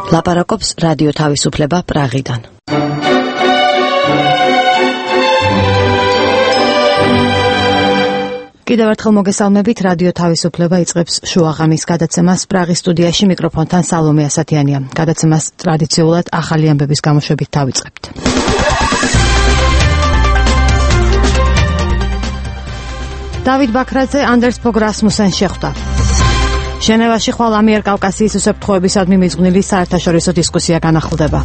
ლაპარაკობს რადიო თავისუფლება პრაღიდან. კიდევ ერთხელ მოგესალმებით, რადიო თავისუფლება იწყებს შუაღამის გადაცემას პრაღის სტუდიაში მიკროფონთან სალომე ასათიანია. გადაცემას ტრადიციულად ახალი ამბების გამოშვებით დავიწყებთ. დავით ბაქრაძე ანდერს ფოგ რასმუსენს შეხვდა. ჟენევაში ხვალ ამიერკავკასიის უსაფრთხოებისადმი მიძღვნილი საერთაშორისო დისკუსია განახლდება.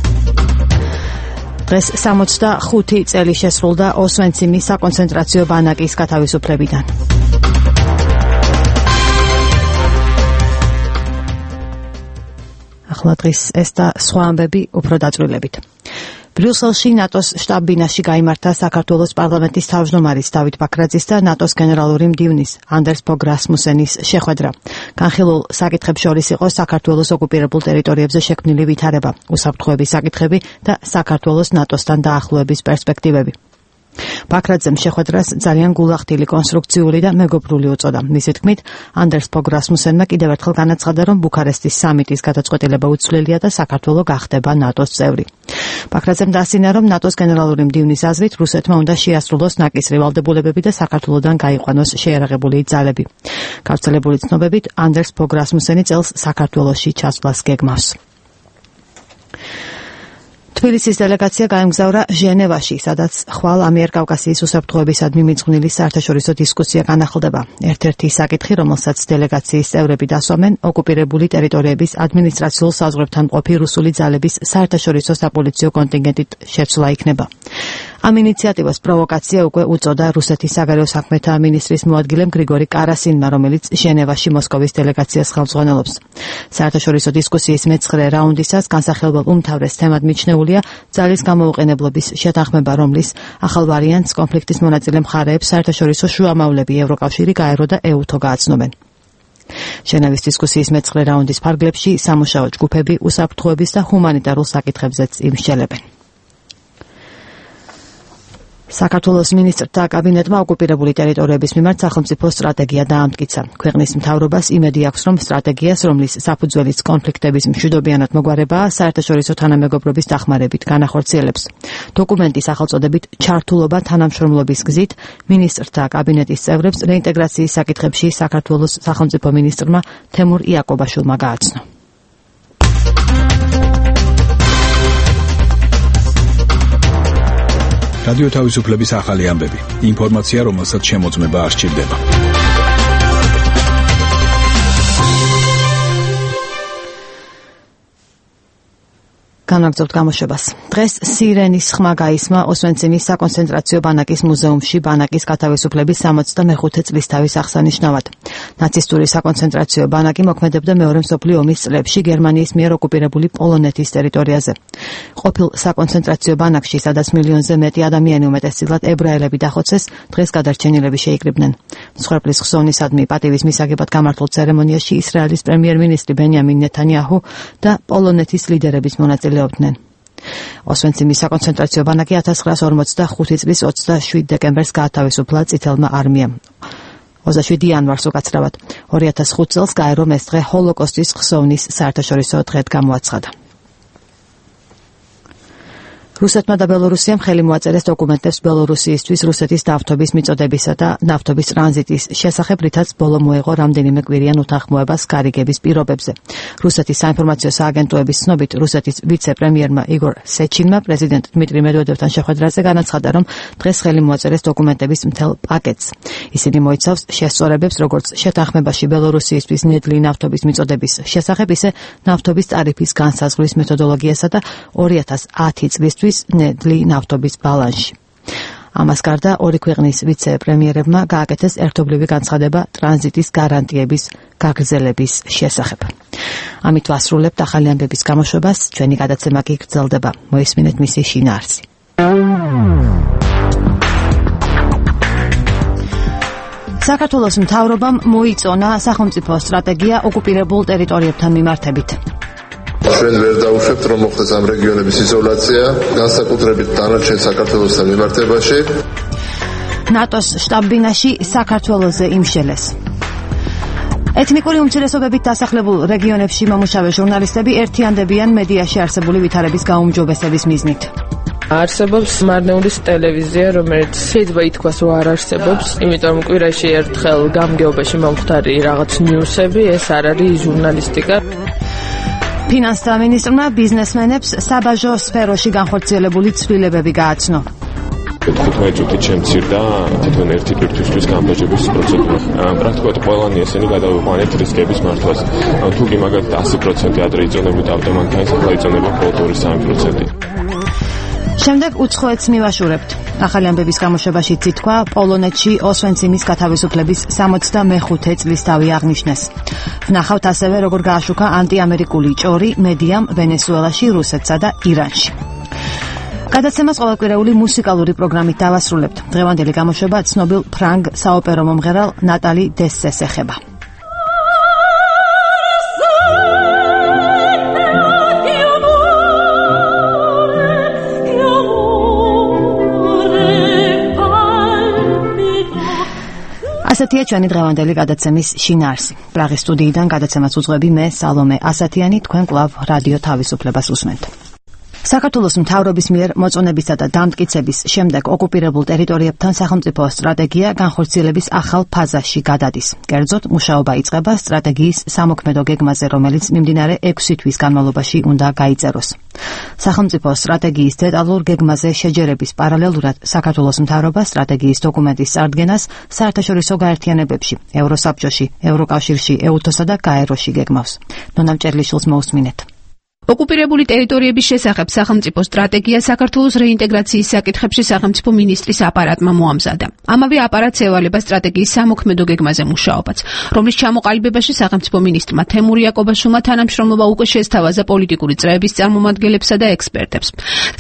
დღეს 65 წელი შესრულდა ოსვენციმის საკონცენტრაციო ბანაკის გათავისუფლებიდან. ახლა დღის ეს და სხვა ამბები უფრო დაწვრილებით. ბრიუსელში ნატოს შტაბ-ბინაში გაიმართა საქართველოს პარლამენტის თავმჯდომარის დავით ბაქრაძის და ნატოს გენერალური მდივნის ანდერს ფოგ რასმუსენის შეხვედრა. განხილულ საკითხებს შორის იყო საქართველოს ოკუპირებულ ტერიტორიებზე შექმნილი ვითარება, უსაფრთხოების საკითხები და საქართველოს ნატოსთან დაახლოების პერსპექტივები. ბაქრაძემ შეხვედრას ძალიან გულახდილი, კონსტრუქციული და მეგობრული უწოდა. მისი თქმით, ანდერს ფოგ რასმუსენმა კიდევ ერთხელ განაცხადა, რომ ბუქარესტის სამიტის გადაწყვეტილება უცვლელია და საქართველო გახდება ნატოს წევრი. ბაქრაძემ დაასინა, რომ ნატოს გენერალური მდივნის აზრით რუსეთმა უნდა შეასრულოს ნაკისრი ვალდებულებები და საქართველოდან გაიყვანოს შეიარაღებული ძალები. გავრცელებული ცნობებით, ანდერს ფოგ რასმუსენი წელს საქართველოში ჩასვლას გეგმავს. თბილისის დელეგაცია გაემგზავრა ჟენევაში, სადაც ხვალ ამიერკავკასიის უსაფრთხოებისადმი მიძღვნილი საერთაშორისო დისკუსია განახლდება. ერთ-ერთი საკითხი, რომელსაც დელეგაციის წევრები დასვამენ, ოკუპირებული ტერიტორიების ადმინისტრაციულ საზღვრებთან მყოფი რუსული ძალების საერთაშორისო საპოლიციო კონტინგენტით შეცვლა იქნება. ამ ინიციატივას პროვოკაცია უკვე უწოდა რუსეთის საგარეო საქმეთა მინისტრის მოადგილემ გრიგორი კარასინმა, რომელიც ჟენევაში მოსკოვის დელეგაციას ხელმძღვანელობს. საერთაშორისო დისკუსიის მეცხრე რაუნდისას განსახილველ უმთავრეს თემად მიჩნეულია ძალის გამოუყენებლობის შეთანხმება, რომლის ახალ ვარიანტს კონფლიქტის მონაწილე მხარეებს საერთაშორისო შუამავლები ევროკავშირი, გაერო და ეუთო გააცნობენ. ჟენევის დისკუსიის მეცხრე რაუნდის ფარგლებში სამუშაო ჯგუფები უსაფრთხოების და ჰუმანიტარულ საკითხებზეც იმსჯელებენ. საქართველოს მინისტრთა კაბინეტმა ოკუპირებული ტერიტორიების მიმართ სახელმწიფო სტრატეგია დაამტკიცა. ქვეყნის მთავრობას იმედი აქვს, რომ სტრატეგიას, რომლის საფუძველიც კონფლიქტების მშვიდობიანად მოგვარებაა, საერთაშორისო თანამეგობრობის დახმარებით განახორციელებს. დოკუმენტის სახელწოდებით ჩართულობა თანამშრომლობის გზით მინისტრთა კაბინეტის წევრებს რეინტეგრაციის საკითხებში საქართველოს სახელმწიფო მინისტრმა თემურ იაკობაშვილმა გააცნო. რადიო თავისუფლების ახალი ამბები. ინფორმაცია, რომელსაც შემოწმება არ სჭირდება. განაგრძობთ გამოშვებას. დღეს სირენის ხმა გაისმა ოსვენციმის საკონცენტრაციო ბანაკის მუზეუმში ბანაკის გათავისუფლების 65 წლისთავის აღსანიშნავად. ნაცისტური საკონცენტრაციო ბანაკი მოქმედებდა მეორე მსოფლიო ომის წლებში გერმანიის მიერ ოკუპირებული პოლონეთის ტერიტორიაზე. ყოფილ საკონცენტრაციო ბანაკში, სადაც მილიონზე მეტი ადამიანი, უმეტესწილად ებრაელები დახოცეს, დღეს გადარჩენილები შეიკრიბნენ. მსხვერპლის ხსოვნისადმი პატივის მისაგებად გამართულ ცერემონიაში ისრაელის პრემიერ-მინისტრი ბენიამინ ნეთანიაჰუ და პოლონეთის ლიდერების მონაწილეობდნენ. ოსვენციმის საკონცენტრაციო ბანაკი 1945 წლის 27 დეკემბერს გაათავისუფლა წითელმა არმიამ. 27 იანვარს უკაცრავად. 2005 წელს გაერომ ეს დღე ჰოლოკოსტის ხსოვნის საერთაშორისო დღედ გამოაცხადა. რუსეთმა და ბელორუსიამ ხელი მოაწერეს დოკუმენტებს ბელორუსიისთვის რუსეთის ნავთობის მიწოდებისა და ნავთობის ტრანზიტის შესახებ, რითაც ბოლო მოეღო რამდენიმე კვირიან უთანხმოებას გარიგების პირობებზე. რუსეთის საინფორმაციო სააგენტოების ცნობით, რუსეთის ვიცე-პრემიერმა იგორ სეჩინმა პრეზიდენტ დმიტრი მედვედევთან შეხვედრაზე განაცხადა, რომ დღეს ხელი მოაწერეს დოკუმენტების მთელ პაკეტს. ისინი მოიცავს შესწორებებს, როგორც შეთანხმებაში ბელორუსიისთვის ნედლი ნავთობის მიწოდების შესახებ, ისე ნავთობის ტარიფის განსაზღვრის მეთოდოლოგიასა და 2010 წლისთვის ნედლი ნავთობის ბალანსში. ამას გარდა ორი ქვეყნის ვიცე-პრემიერებმა გააკეთეს ერთობლივი განცხადება ტრანზიტის გარანტიების გაგრძელების შესახებ. ამით ვასრულებთ ახალი ამბების გამოშვებას, ჩვენი გადაცემა კი გრძელდება. მოისმინეთ მისი შინაარსი. საქართველოს მთავრობამ მოიწონა სახელმწიფო სტრატეგია ოკუპირებულ ტერიტორიებთან მიმართებით. ჩვენ ვერ დავუშვებთ, რომ მოხდეს ამ რეგიონების იზოლაცია, განსაკუთრებით დანარჩენ საქართველოსთან მიმართებაში. ნატოს შტაბ-ბინაში საქართველოზე იმშელეს. ეთნიკური უმცირესობებით დასახლებულ რეგიონებში მომუშავე ჟურნალისტები ერთიანდებიან მედიაში არსებული ვითარების გაუმჯობესების მიზნით. არსებობს მარნეულის ტელევიზია, რომელიც შეიძლება ითქვას, რომ არ არსებობს, იმიტომ კვირაში ერთხელ გამგეობაში მომხდარი რაღაც ნიუსები, ეს არ არის ჟურნალისტიკა. ფინანსთა მინისტრმა ბიზნესმენებს საბაჟო სფეროში განხორციელებული ცვლილებები გააცნო. 15 წუთით შემცირდა თითოეულ ერთი პირთვისთვის გამბაჟების პროცედურა. პრაქტიკულად ყველანი ესენი გადავიყვანეთ რისკების მართვას. თუ კი მაგალითად 100% ადრე იწონებოდა ავტომანქანის, ახლა იწონება მხოლოდ 2-3%. შემდეგ უცხოეთს მივაშურებთ. ახალი ამბების გამოშვებაში ითქვა, პოლონეთში ოსვენციმის გათავისუფლების 65 წლის დავი აღნიშნეს. ვნახავთ ასევე, როგორ გააშუქა ანტიამერიკული ჭორი მედიამ ვენესუელაში, რუსეთსა და ირანში. გადაცემას ყოველკვირეული მუსიკალური პროგრამით დავასრულებთ. დღევანდელი გამოშვება ცნობილ ფრანგ საოპერო მომღერალ ნატალი დესეს ეხება. ასეთია ჩვენი დღევანდელი გადაცემის შინაარსი. პრაღის სტუდიიდან გადაცემას უძღვები მე სალომე ასათიანი, თქვენ კვლავ რადიო თავისუფლებას უსმენთ. საქართველოს მთავრობის მიერ მოწონებისა და დამტკიცების შემდეგ ოკუპირებულ ტერიტორიებთან სახელმწიფო სტრატეგია განხორციელების ახალ ფაზაში გადადის. კერძოდ, მუშაობა იწყება სტრატეგიის სამოქმედო გეგმაზე, რომელიც მიმდინარე 6 თვის განმავლობაში უნდა გაიწეროს. სახელმწიფო სტრატეგიის დეტალურ გეგმაზე შეჯერების პარალელურად საქართველოს მთავრობა სტრატეგიის დოკუმენტის წარდგენას საერთაშორისო გაერთიანებებში, ევროსაბჭოში, ევროკავშირში, ეუთოსა და გაეროში გეგმავს. ნონა მჭერლიშვილს მოусმინეთ. ოკუპირებული ტერიტორიების შესახებ სახელმწიფო სტრატეგია საქართველოს რეინტეგრაციის საკითხებში სახელმწიფო მინისტრის აპარატმა მოამზადა. ამავე აპარატს ევალება სტრატეგიის სამოქმედო გეგმაზე მუშაობაც, რომლის ჩამოყალიბებაში სახელმწიფო მინისტრმა თემურ იაკობაშვილმა თანამშრომლობა უკვე შესთავაზა პოლიტიკური წრეების წარმომადგენლებსა და ექსპერტებს.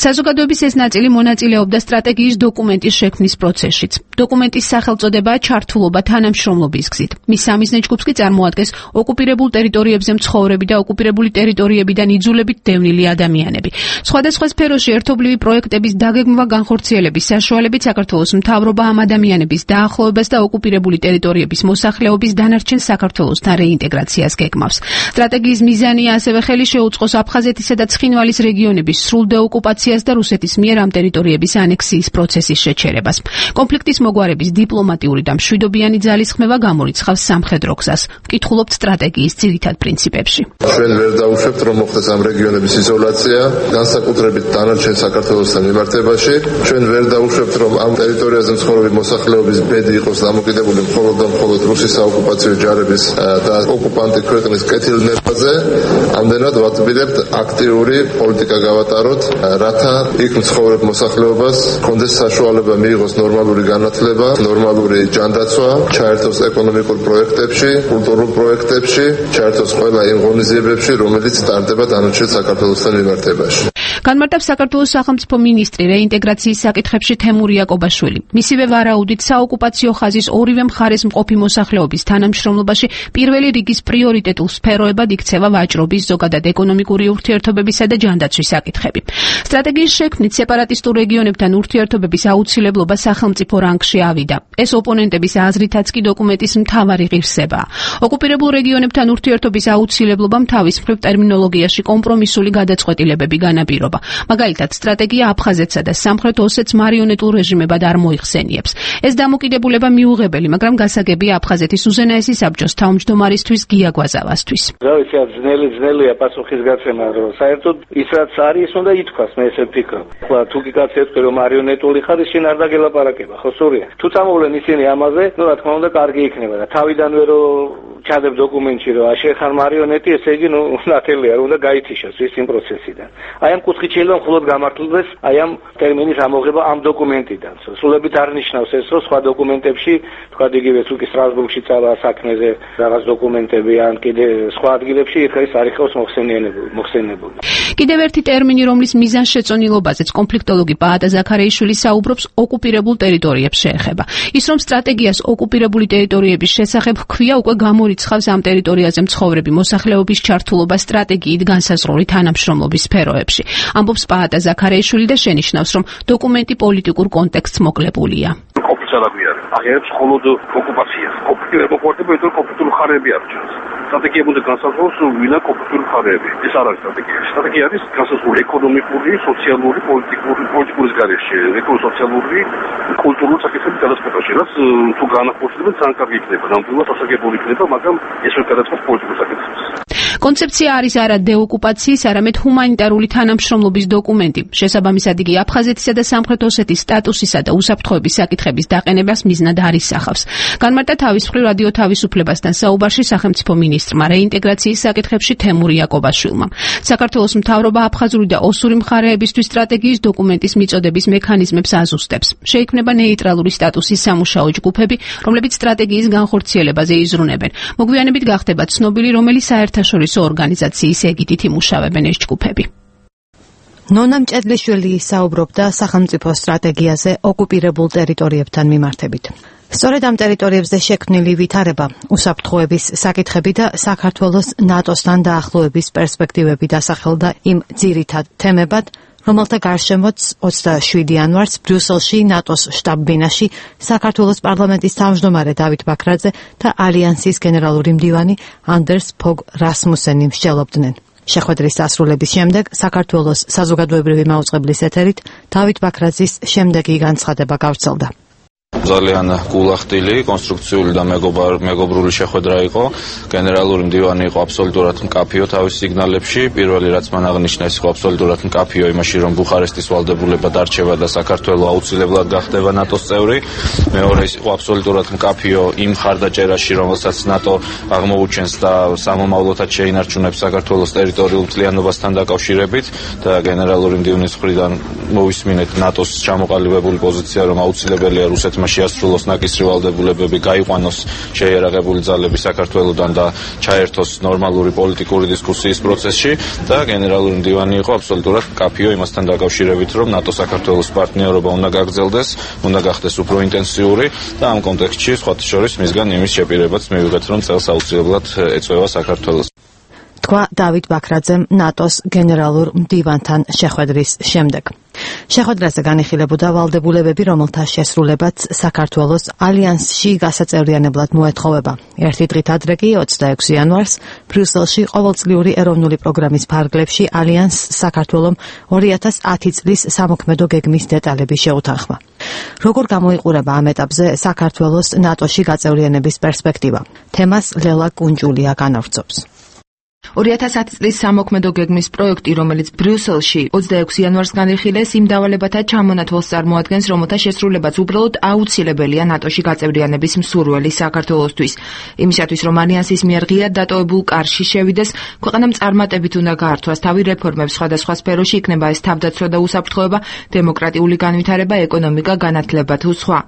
საზოგადოების ეს ნაწილი მონაწილეობდა სტრატეგიის დოკუმენტის შექმნის პროცესშიც. დოკუმენტის სახელწოდებაა ჩართულობა თანამშრომლობის გზით. მის სამიზნე ჯგუფს კი წარმოადგენს ოკუპირებულ ტერიტორიებზე მცხოვრები და ოკუპირებული ტერიტორიებიდან იძულებით დევნილი ადამიანები. სხვადასხვა სფეროში ერთობლივი პროექტების დაგეგმვა განხორციელების საშუალებით საქართველოს მთავრობა ამ ადამიანების დაახლოებას და ოკუპირებული ტერიტორიების მოსახლეობის დანარჩენ საქართველოსთან რეინტეგრაციას გეგმავს. სტრატეგიის მიზანია ასევე ხელი შეუწყოს აფხაზეთისა და ცხინვალის რეგიონების სრულ დეოკუპაციას და რუსეთის მიერ ამ ტერიტორიების ანექსიის პროცესის შეჩერებას. კონფლიქტის მოგვარების დიპლომატიური და მშვიდობიანი ძალისხმევა გამორიცხავს სამხედრო გზას. ვკითხულობთ სტრატეგიის ძირითად პრინციპებში. ჩვენ ვერ დავუშვებთ, რომ მოხდეს ამ რეგიონების იზოლაცია, განსაკუთრებით დანარჩენ საქართველოსთან მიმართებაში. ჩვენ ვერ დავუშვებთ, რომ ამ ტერიტორიაზე მცხოვრები მოსახლეობის ბედი იყოს დამოკიდებული მხოლოდ და მხოლოდ რუსის საოკუპაციო ჯარების და ოკუპანტი ქვეყნის კეთილნებაზე. ამდენად ვაწბირებთ აქტიური პოლიტიკა გავატაროთ, რათა იქ მცხოვრებ მოსახლეობას კონდეს საშუალება მიიღოს ნორმალური განათლება, ნორმალური ჯანდაცვა, ჩაერთოს ეკონომიკურ პროექტებში, კულტურულ პროექტებში, ჩაერთოს ყველა იმ ღონისძიებებში, რომელიც ტარდება დანარჩენ საქართველოსთან მიმართებაში. განმარტავს საქართველოს სახელმწიფო მინისტრი რეინტეგრაციის საკითხებში თემურ იაკობაშვილი. მისივე ვარაუდით საოკუპაციო ხაზის ორივე მხარეს მყოფი მოსახლეობის თანამშრომლობაში პირველი რიგის პრიორიტეტულ სფეროებად იქცევა ვაჭრობის, ზოგადად ეკონომიკური ურთიერთობებისა და ჯანდაცვის საკითხები. სტრატეგიის შექმნით სეპარატისტულ რეგიონებთან ურთიერთობების აუცილებლობა სახელმწიფო რანგში ავიდა. ეს ოპონენტების აზრითაც კი დოკუმენტის მთავარი ღირსებაა. ოკუპირებულ რეგიონებთან ურთიერთობის აუცილებლობამ თავის მხრივ ტერმინოლოგიაში კომპრომისული გადაწყვეტილებები განაპირობა. მაგალითად, სტრატეგია აფხაზეთსა და სამხრეთ ოსეთს მარიონეტულ რეჟიმებად არ მოიხსენიებს. ეს დამოკიდებულება მიუღებელი, მაგრამ გასაგებია აფხაზეთის უზენაესი საბჭოს თავმჯდომარისთვის გია გვაზავასთვის. რა ვიცი, ძნელია პასუხისგაცემა, რომ საერთოდ ის რაც არის, უნდა ითქვას, მე ესე ვფიქრობ. ხლა თუ კი კაცი ეთქვი, რომ მარიონეტული ხარ, შენ არ დაგელაპარაკება, ხო სურია. თუ წამოვლენ ისინი ამაზე, ნუ რა თქმა უნდა, კარგი იქნება და თავიდანვე რომ ჩადებ დოკუმენტში, რომ შენ ხარ მარიონეტი, ესე იგი, ნუ ნათელია, უნდა გაითიშოს ის იმ პროცესიდან. აი ამ კუთხით შეიძლება მხოლოდ გამართლდეს აი ამ ტერმინის ამოღება ამ დოკუმენტიდან. სულებით არ ნიშნავს ეს, რომ სხვა დოკუმენტებში, თქვა იგივე თუ კი სტრასბურგში წავა საქმეზე რაღაც დოკუმენტები ან კიდე სხვა ადგილებში ეს არ იქავს მოხსენებული. კიდევ ერთი ტერმინი, რომლის მიზანშეწონილობაზეც კონფლიქტოლოგი პაატა ზაქარეიშვილი საუბრობს, ოკუპირებულ ტერიტორიებს შეეხება. ის რომ სტრატეგიას ოკუპირებული ტერიტორიების შესახებ ჰქვია, უკვე გამორიცხავს ამ ტერიტორიაზე მცხოვრები მოსახლეობის ჩართულობა სტრატეგიით განსაზღვრული თანამშრომლობის სფეროებში. ამბობს პაატა ზაქარეიშვილი და შენიშნავს, რომ დოკუმენტი პოლიტიკურ კონტექსტს მოკლებულია. აღიარებს მხოლოდ ოკუპაციას. ოკუპირებულ პორტებთან კონფლიქტულ მხარეები არ ჩანს. სტრატეგია უნდა განსაზღვროს ვინა კონკრეტული მხარეები. ეს არ არის სტრატეგია. სტრატეგია არის განსაზღვრული ეკონომიკური, სოციალური, პოლიტიკური გარეშე, ეკონომიკურ-სოციალური, კულტურული საკითხების გადაწყვეტაში, რაც თუ განახორციელებენ ძალიან კარგი იქნება. ნამდვილად ასაგებული იქნება, მაგრამ ეს ვერ გადაწყობს პოლიტიკურ საკითხებს. კონცეფცია არის არა დეოკუპაციის, არამედ ჰუმანიტარული თანამშრომლობის დოკუმენტი. შესაბამისად იგი აფხაზეთისა და სამხრეთ ოსეთის სტატუსისა და უსაფრთხოების საკითხების დაყენებას მიზნად არ ისახავს. განმარტა თავის მხრივ რადიო თავისუფლებასთან საუბარში სახელმწიფო მინისტრმა რეინტეგრაციის საკითხებში თემურ იაკობაშვილმა. საქართველოს მთავრობა აფხაზური და ოსური მხარეებისთვის სტრატეგიის დოკუმენტის მიწოდების მექანიზმებს აზუსტებს. შეიქმნება ნეიტრალური სტატუსის სამუშაო ჯგუფები, რომლებიც სტრატეგიის განხორციელებაზე იზრუნებენ. მოგვიანებით გახდება ცნობილი, რომელი საერთაშორისო ორგანიზაციის ეგიდით იმუშავებენ ეს ჯგუფები. ნონა მჭედლიშვილი საუბრობდა სახელმწიფო სტრატეგიაზე ოკუპირებულ ტერიტორიებთან მიმართებით. სწორედ ამ ტერიტორიებზე შექმნილი ვითარება, უსაფრთხოების საკითხები და საქართველოს ნატოსთან დაახლოების პერსპექტივები დასახელდა იმ ძირითად თემებად, რომელთა გარშემოც 27 იანვარს ბრიუსელში ნატოს შტაბ-ბინაში საქართველოს პარლამენტის თავმჯდომარე დავით ბაქრაძე და ალიანსის გენერალური მდივანი ანდერს ფოგ რასმუსენი მსჯელობდნენ. შეხვედრის დასრულების შემდეგ საქართველოს საზოგადოებრივი მაუწყებლის ეთერით დავით ბაქრაძის შემდეგი განცხადება გავრცელდა. ძალიან გულახდილი, კონსტრუქციული და მეგობრული შეხვედრა იყო. გენერალური მდივანი იყო აბსოლუტურად მკაფიო თავის სიგნალებში. პირველი რაც მან აღნიშნა ის იყო აბსოლუტურად მკაფიო იმაში, რომ ბუხარესტის ვალდებულება დარჩება და საქართველო აუცილებლად გახდება ნატოს წევრი. მეორე ის იყო აბსოლუტურად მკაფიო იმ ხარდაჭერაში, რომელსაც ნატო აღმოუჩენს და სამომავლოდაც შეინარჩუნებს საქართველოს ტერიტორიულ მთლიანობასთან დაკავშირებით და გენერალური მდივნის მხრიდან მოვისმინეთ ნატოს ჩამოყალიბებული პოზიცია, რომ აუცილებელია რუსეთმა შეასრულოს ნაკისრი ვალდებულებები, გაიყვანოს შეიარაღებული ძალები საქართველოდან და ჩაერთოს ნორმალური პოლიტიკური დისკუსიის პროცესში და გენერალური მდივანი იყო აბსოლუტურად მკაფიო იმასთან დაკავშირებით, რომ ნატო საქართველოს პარტნიორობა უნდა გაგრძელდეს, უნდა გახდეს უფრო ინტენსიური და ამ კონტექსტში სხვათა შორის მისგან იმის შეპირებაც მივიღეთ, რომ წელს აუცილებლად ეწევა საქართველოს. თქვა დავით ბაქრაძემ ნატოს გენერალურ მდივანთან შეხვედრის შემდეგ. შეხვედრაზე განიხილებოდა ვალდებულებები, რომელთა შესრულებაც საქართველოს ალიანსში გასაწევრიანებლად მოეთხოვება. ერთი დღით ადრე კი 26 იანვარს ბრიუსელში ყოველწლიური ეროვნული პროგრამის ფარგლებში ალიანსს საქართველომ 2010 წლის სამოქმედო გეგმის დეტალები შეუთანხმა. როგორ გამოიყურება ამ ეტაპზე საქართველოს ნატოში გაწევრიანების პერსპექტივა? თემას ლელა კუნჯულია განავრცობს. 2010 წლის სამოქმედო გეგმის პროექტი, რომელიც ბრიუსელში 26 იანვარს განიხილეს, იმ დავალებათა ჩამონათვალს წარმოადგენს, რომელთა შესრულებაც უბრალოდ აუცილებელია ნატოში გაწევრიანების მსურველი საქართველოსთვის. იმისათვის, რომ ალიანსის მიერ ღიად დატოვებულ კარში შევიდეს, ქვეყანამ წარმატებით უნდა გაართვას თავი რეფორმებს სხვადასხვა სფეროში, იქნება ეს თავდაცვა და უსაფრთხოება, დემოკრატიული განვითარება, ეკონომიკა, განათლება თუ სხვა.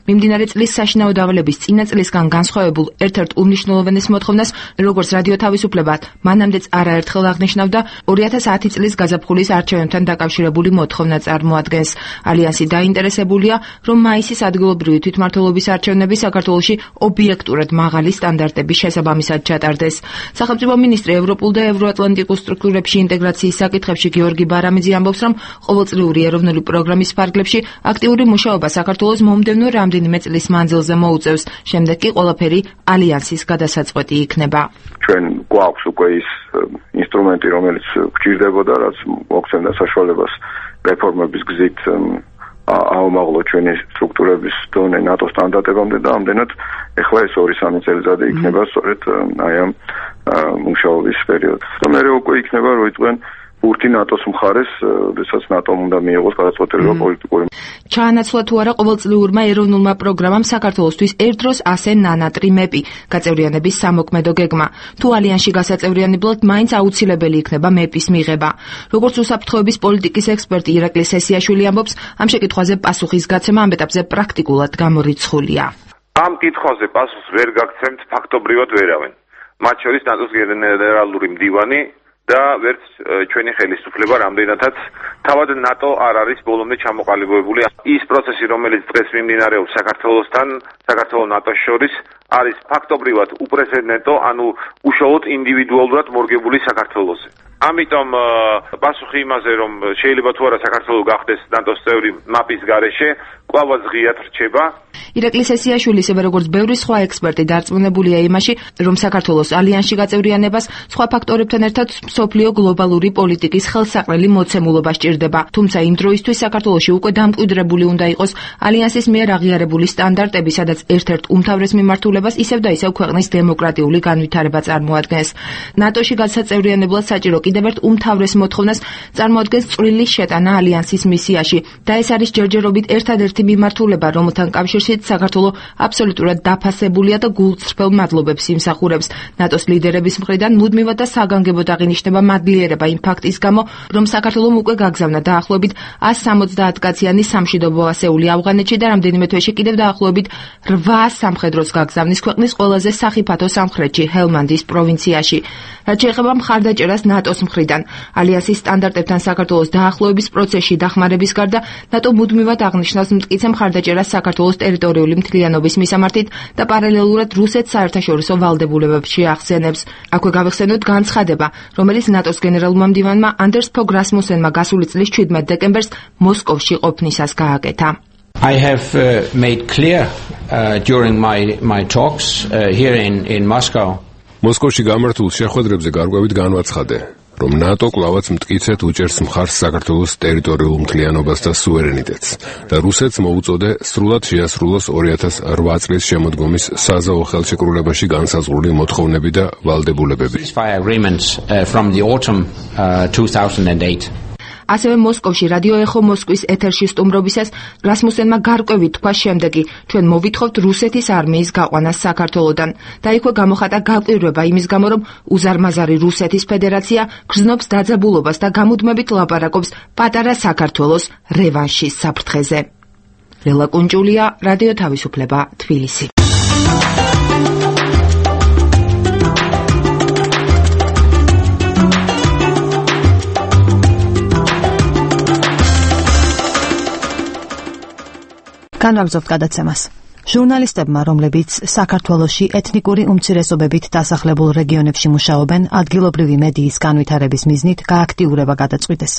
მიმდინარე წლის საშინაო დავალების წინა წლისგან განსხვავებულ ერთ-ერთ უმნიშვნელოვანეს მოთხოვნას, როგორც რადიო თავისუფლება მანამდეც არაერთხელ აღნიშნავდა 2010 წლის გაზაფხულის არჩევნებთან დაკავშირებული მოთხოვნა წარმოადგენს. ალიანსი დაინტერესებულია, რომ მაისის ადგილობრივი თვითმმართველობის არჩევნები საქართველოში ობიექტურად მაღალი სტანდარტების შესაბამისად ჩატარდეს. სახელმწიფო მინისტრი ევროპულ და ევროატლანტიკურ სტრუქტურებში ინტეგრაციის საკითხებში გიორგი ბარამიძე ამბობს, რომ ყოველწლიური ეროვნული პროგრამის ფარგლებში აქტიური მუშაობა საქართველოს მომდევნო რამდენიმე წლის მანძილზე მოუწევს. შემდეგ კი ყველაფერი ალიანსის გადასაწყვეტი იქნება. ჩვენ გვაქვს უკვე ის ინსტრუმენტი, რომელიც გვჭირდებოდა, რაც მოგცემდა საშუალებას რეფორმების გზით აუმაღლოთ ჩვენი სტრუქტურების დონე ნატოს სტანდარტებამდე და ამდენად ეხლა ეს 2-3 წელიწადი იქნება სწორედ აი ამ მუშაობის პერიოდი. და მე უკვე იქნება რო იყვენ ურთი ნატოს მხარეს, როდესაც ნატომ უნდა მიიღოს გადაწყვეტილება პოლიტიკური. ჩაანაცვლა თუ არა ყოველწლიურმა ეროვნულმა პროგრამამ საქართველოსთვის ერთდროს ასე ნანატრიმები გაწევრიანების სამოქმედო გეგმა. თუ ალიანსში გასაწევრიანებლად მაინც აუცილებელი იქნება მეპის მიღება. როგორც უსაფრთხოების პოლიტიკის ექსპერტი ირაკლი სესიაშვილი ამბობს, ამ შეკითხვაზე პასუხის გაცემა ამ ეტაპზე პრაქტიკულად გამორიცხულია. ამ კითხვაზე პასუხს ვერ გაგცემთ ფაქტობრივად ვერავინ. მათ შორის ნატოს გენერალური მდივანი და ვერც ჩვენი ხელისუფლება რამდენადაც თავად ნატო არ არის ბოლომდე ჩამოყალიბებული. ის პროცესი, რომელიც დღეს მიმდინარეობს საქართველოსთან, საქართველოს ნატოს შორის, არის ფაქტობრივად უპრეცედენტო, ანუ უშუალოდ ინდივიდუალურად მორგებული საქართველოსზე. ამიტომ პასუხი იმაზე, რომ შეიძლება თუ არა საქართველო გახდეს ნატოს წევრი მაპის გარეშე, კვლავაც ღიად რჩება. ირაკლი სესიაშვილი ისევე როგორც ბევრი სხვა ექსპერტი დარწმუნებულია იმაში, რომ საქართველოს ალიანსში გაწევრიანებას სხვა ფაქტორებთან ერთად მსოფლიო გლობალური პოლიტიკის ხელსაყრელი მოცემულობა სჭირდება. თუმცა იმ დროისთვის საქართველოში უკვე დამკვიდრებული უნდა იყოს ალიანსის მიერ აღიარებული სტანდარტები, სადაც ერთ-ერთ უმთავრეს მიმართულებას ისევ და ისევ ქვეყნის დემოკრატიული განვითარება წარმოადგენს. ნატოში გასაწევრიანებლად საჭირო კიდევ ერთ უმთავრეს მოთხოვნას წარმოადგენს წვრილი შეტანა ალიანსის მისიაში და ეს არის ჯერჯერობით ერთადერთი მიმართულება, რომელთან კავშირშიც საქართველო აბსოლუტურად დაფასებულია და გულწრფელ მადლობებს იმსახურებს. ნატოს ლიდერების მხრიდან მუდმივად და საგანგებოდ აღინიშნება მადლიერება იმ ფაქტის გამო, რომ საქართველომ უკვე გაგზავნა დაახლოებით 170 კაციანი სამშვიდობო ასეული ავღანეთში და რამდენიმე თვეში კიდევ დაახლოებით 8 სამხედროს გაგზავნის ქვეყნის ყველაზე სახიფათო სამხრეთში, ჰელმანდის პროვინციაში. რაც შეეხება მხარდაჭერას ნატოს მხრიდან, ალიანსის სტანდარტებთან საქართველოს დაახლოების პროცესში დახმარების გარდა, ნატო მუდმივად აღნიშნავს მტკიცე მხარდაჭერას საქართველოს ტერიტორიული მთლიანობის მისამართით და პარალელურად რუსეთს საერთაშორისო ვალდებულებებში ახსენებს. აქვე გავიხსენოთ განცხადება, რომელიც ნატოს გენერალურმა მდივანმა Anders Fogh Rasmussenმა გასული წლის 17 დეკემბერს მოსკოვში ყოფნისას გააკეთა. I have made clear during my talks here in Moscow. მოსკოვში გამართულ შეხვედრებზე გარკვევით განვაცხადე, რომ ნატო კვლავაც მტკიცედ უჭერს მხარს საქართველოს ტერიტორიულ მთლიანობას და სუვერენიტეტს და რუსეთს მოუწოდე სრულად შეასრულოს 2008 წლის შემოდგომის საზავო ხელშეკრულებაში განსაზღვრული მოთხოვნები და ვალდებულებები. ასევე მოსკოვში რადიო ეხო მოსკვის ეთერში სტუმრობისას რასმუსენმა გარკვევით თქვა შემდეგი: ჩვენ მოვითხოვთ რუსეთის არმიის გაყვანას საქართველოდან და იქვე გამოხატა გაკვირვება იმის გამო, რომ უზარმაზარი რუსეთის ფედერაცია გრძნობს დაძაბულობას და გამუდმებით ლაპარაკობს პატარა საქართველოს რევანშის საფრთხეზე. რელა კუნჭულია, რადიო თავისუფლება, თბილისი. განვაგრძობთ გადაცემას. ჟურნალისტებმა, რომლებიც საქართველოში ეთნიკური უმცირესობებით დასახლებულ რეგიონებში მუშაობენ, ადგილობრივი მედიის განვითარების მიზნით გააქტიურება გადაწყვიტეს.